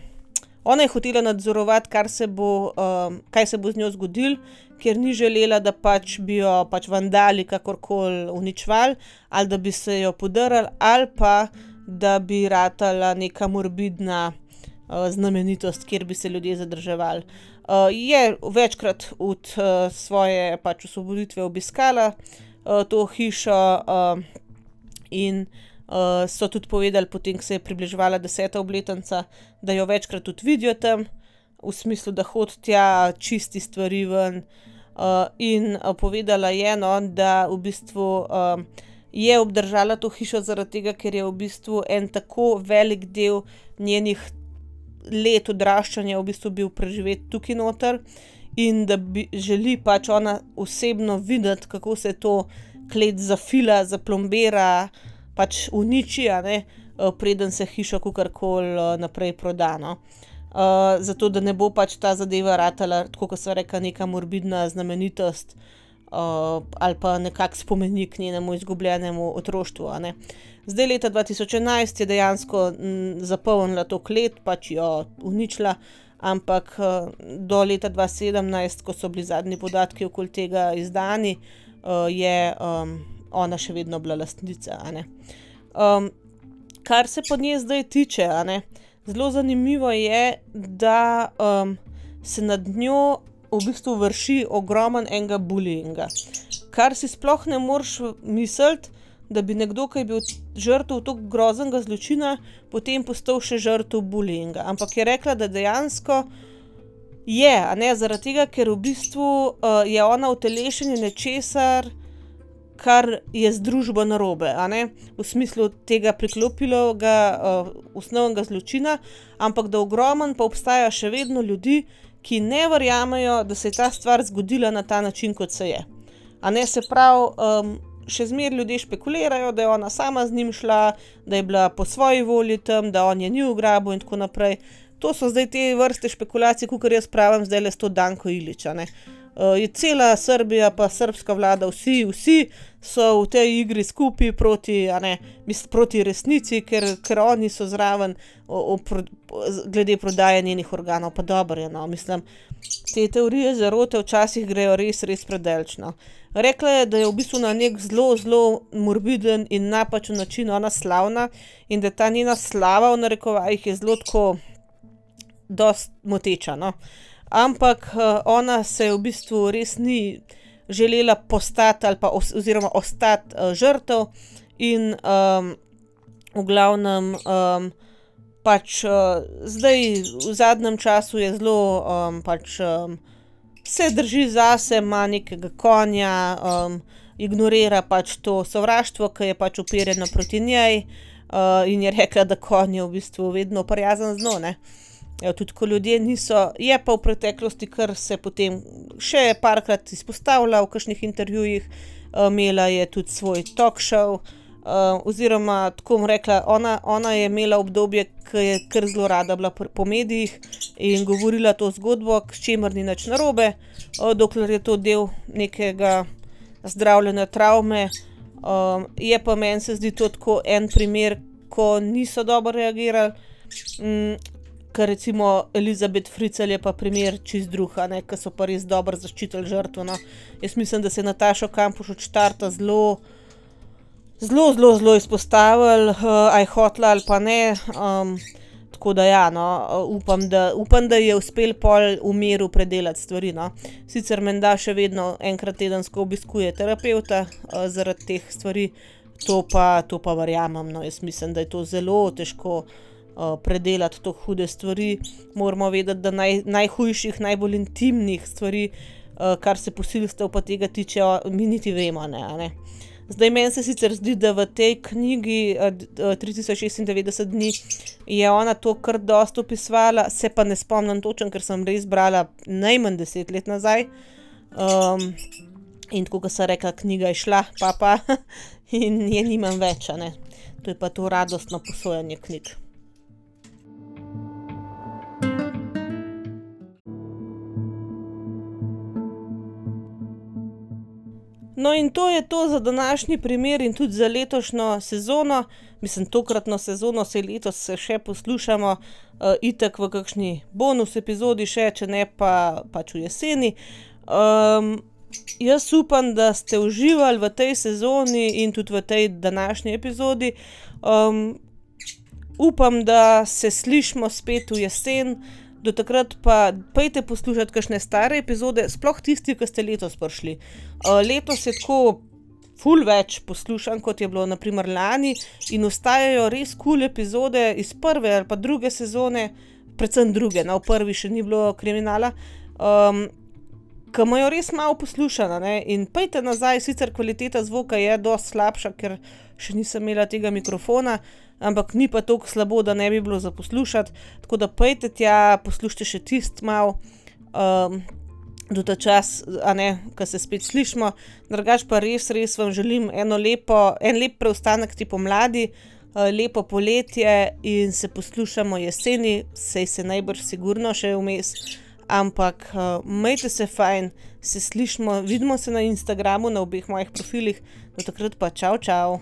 ona je hotela nadzorovati, kar se bo, um, kaj se bo z njo zgodilo, ker ni želela, da pač bi jo pač vandali kakorkoli uničevali, ali da bi se jo podarili, ali pa da bi ratala neka morbidna uh, znamenitost, kjer bi se ljudje zadrževali. Uh, je večkrat od uh, svoje pač osvoboditve obiskala uh, to hišo uh, in Uh, so tudi povedali, potem, ko se je približevala deseta obletnica, da jo večkrat tudi vidijo tam, v smislu, da hodi tja, čisti stvari ven. Uh, in uh, povedala je, no, da v bistvu uh, je obdržala to hišo zaradi tega, ker je v bistvu en tako velik del njenih let odraščanja v bistvu bil preživeti tukaj noter in da bi želi pač ona osebno videti, kako se to klet zafila, zaplombira, pač uniči, a ne, uh, preden se hiša kakorkoli uh, naprej proda, no. Uh, zato, da ne bo pač ta zadeva ratala, tako kot sva rekla, neka morbidna znamenitost uh, ali pa nekak spomenik njenemu izgubljenemu otroštvu, a ne. Zdaj, leta dva tisoč enajst je dejansko m, zapolnila to klet, pač jo uničila, ampak uh, do leta dva sedemnajst, ko so bili zadnji podatki okoli tega izdani, uh, je um, ona še vedno bila lastnica, a ne. Um, kar se pa nje zdaj tiče, a ne, zelo zanimivo je, da um, se nad njo v bistvu vrši ogromen enega bullyinga. Kar si sploh ne moreš misliti, da bi nekdo, ki je bil žrtev toliko groznega zločina, potem postal še žrtev bullyinga. Ampak je rekla, da dejansko je, a ne, zaradi tega, ker v bistvu uh, je ona utelešenje nečesar, kar je z družbo narobe, a ne, v smislu tega priklopilega uh, osnovnega zločina, ampak da ogromen pa obstaja še vedno ljudi, ki ne verjamejo, da se je ta stvar zgodila na ta način, kot se je. A ne, se pravi, um, še zmeraj ljudje špekulirajo, da je ona sama z njim šla, da je bila po svoji volji tam, da on je ni ugrabil in tako naprej. To so zdaj te vrste špekulacij, kakor jaz pravim zdajle s to Danko Ilić, a ne. Uh, je cela Srbija pa srbska vlada, vsi, vsi so v tej igri skupaj proti, a ne, mislim, proti resnici, ker, ker oni so zraven o, o, pro, glede prodaje njenih organov. Pa dobro je, no, mislim, te teorije zarote včasih grejo res, res predalečno. Rekla je, da je v bistvu na nek zelo, zelo morbiden in napačen način ona slavna in da ta njena slava v narekovajih je zelo tako dost moteča, no. Ampak uh, ona se v bistvu res ni želela postati ali pa os, oziroma ostati uh, žrtev in um, v glavnem um, pač uh, zdaj v zadnjem času je zelo um, pač um, se drži zase, ima nekega konja, um, ignorira pač to sovraštvo, ki je pač uperjeno proti njej uh, in je rekla, da konj je v bistvu vedno prijazen z njo, ne. Tudi ko ljudje niso, je pa v preteklosti, kar se potem še parkrat izpostavlja v kakšnih intervjujih, imela je tudi svoj talk show, oziroma tako bom rekla, ona, ona je imela obdobje, ki je kar zelo rada bila po medijih in govorila to zgodbo, s čimer ni nič narobe, dokler je to del nekega zdravljenja travme. Je pa meni se zdi to tako en primer, ko niso dobro reagirali, ker recimo Elizabeth Fritzl je pa primer čist drug, a ne, ki so pa res dobro zaščitili žrtvo, no. Jaz mislim, da se je Natašo Kampuš od štarta zelo, zelo, zelo, zelo izpostavili, uh, aj hotla ali pa ne, um, tako da ja, no, upam, da, upam, da je uspel pol v miru predelati stvari, no. Sicer menda še vedno enkrat tedensko obiskuje terapevta uh, zaradi teh stvari, to pa, to pa verjamem, no, jaz mislim, da je to zelo težko Uh, predelati to hude stvari. Moramo vedeti, da naj, najhujših, najbolj intimnih stvari, uh, kar se posilstev pa tega tiče, mi niti vemo, ne, a ne. Zdaj, meni se sicer zdi, da v tej knjigi uh, tri tisoč šestindevetdeset dni je ona to kar dosti opisovala, se pa ne spomnim točno, ker sem res brala najmanj deset let nazaj. Um, in tako, kot sem rekla, knjiga je šla, pa pa, in je nimam več, a ne. To je pa to radostno posojanje knjig. No in to je to za današnji primer in tudi za letošnjo sezono, mislim tokratno sezono, saj letos se še poslušamo, uh, itak v kakšni bonus epizodi še, če ne pa pač v jeseni. Um, jaz upam, da ste uživali v tej sezoni in tudi v tej današnji epizodi. Um, upam, da se slišimo spet v jesen. Do takrat pa pejte poslušati kakšne stare epizode, sploh tisti, ki ste letos prišli. Uh, letos je tako ful več poslušan, kot je bilo na primer lani in ostajajo res cool epizode iz prve ali pa druge sezone, predvsem druge, no, v prvi še ni bilo kriminala, um, ki imajo res malo poslušana, ne, in pejte nazaj, sicer kvaliteta zvoka je dosti slabša, ker še nisem imela tega mikrofona, ampak ni pa toliko slabo, da ne bi bilo za poslušati, tako da pejte tja, poslušajte še tist malo, um, do ta čas, a ne, ko se spet slišimo, drugač pa res, res vam želim eno lepo, en lep preostanek te pomladi, lepo poletje in se poslušamo jeseni, sej se najbrž sigurno še vmes, ampak uh, majte se fajn, se slišimo, vidimo se na Instagramu, na obeh mojih profilih, do takrat pa čau, čau.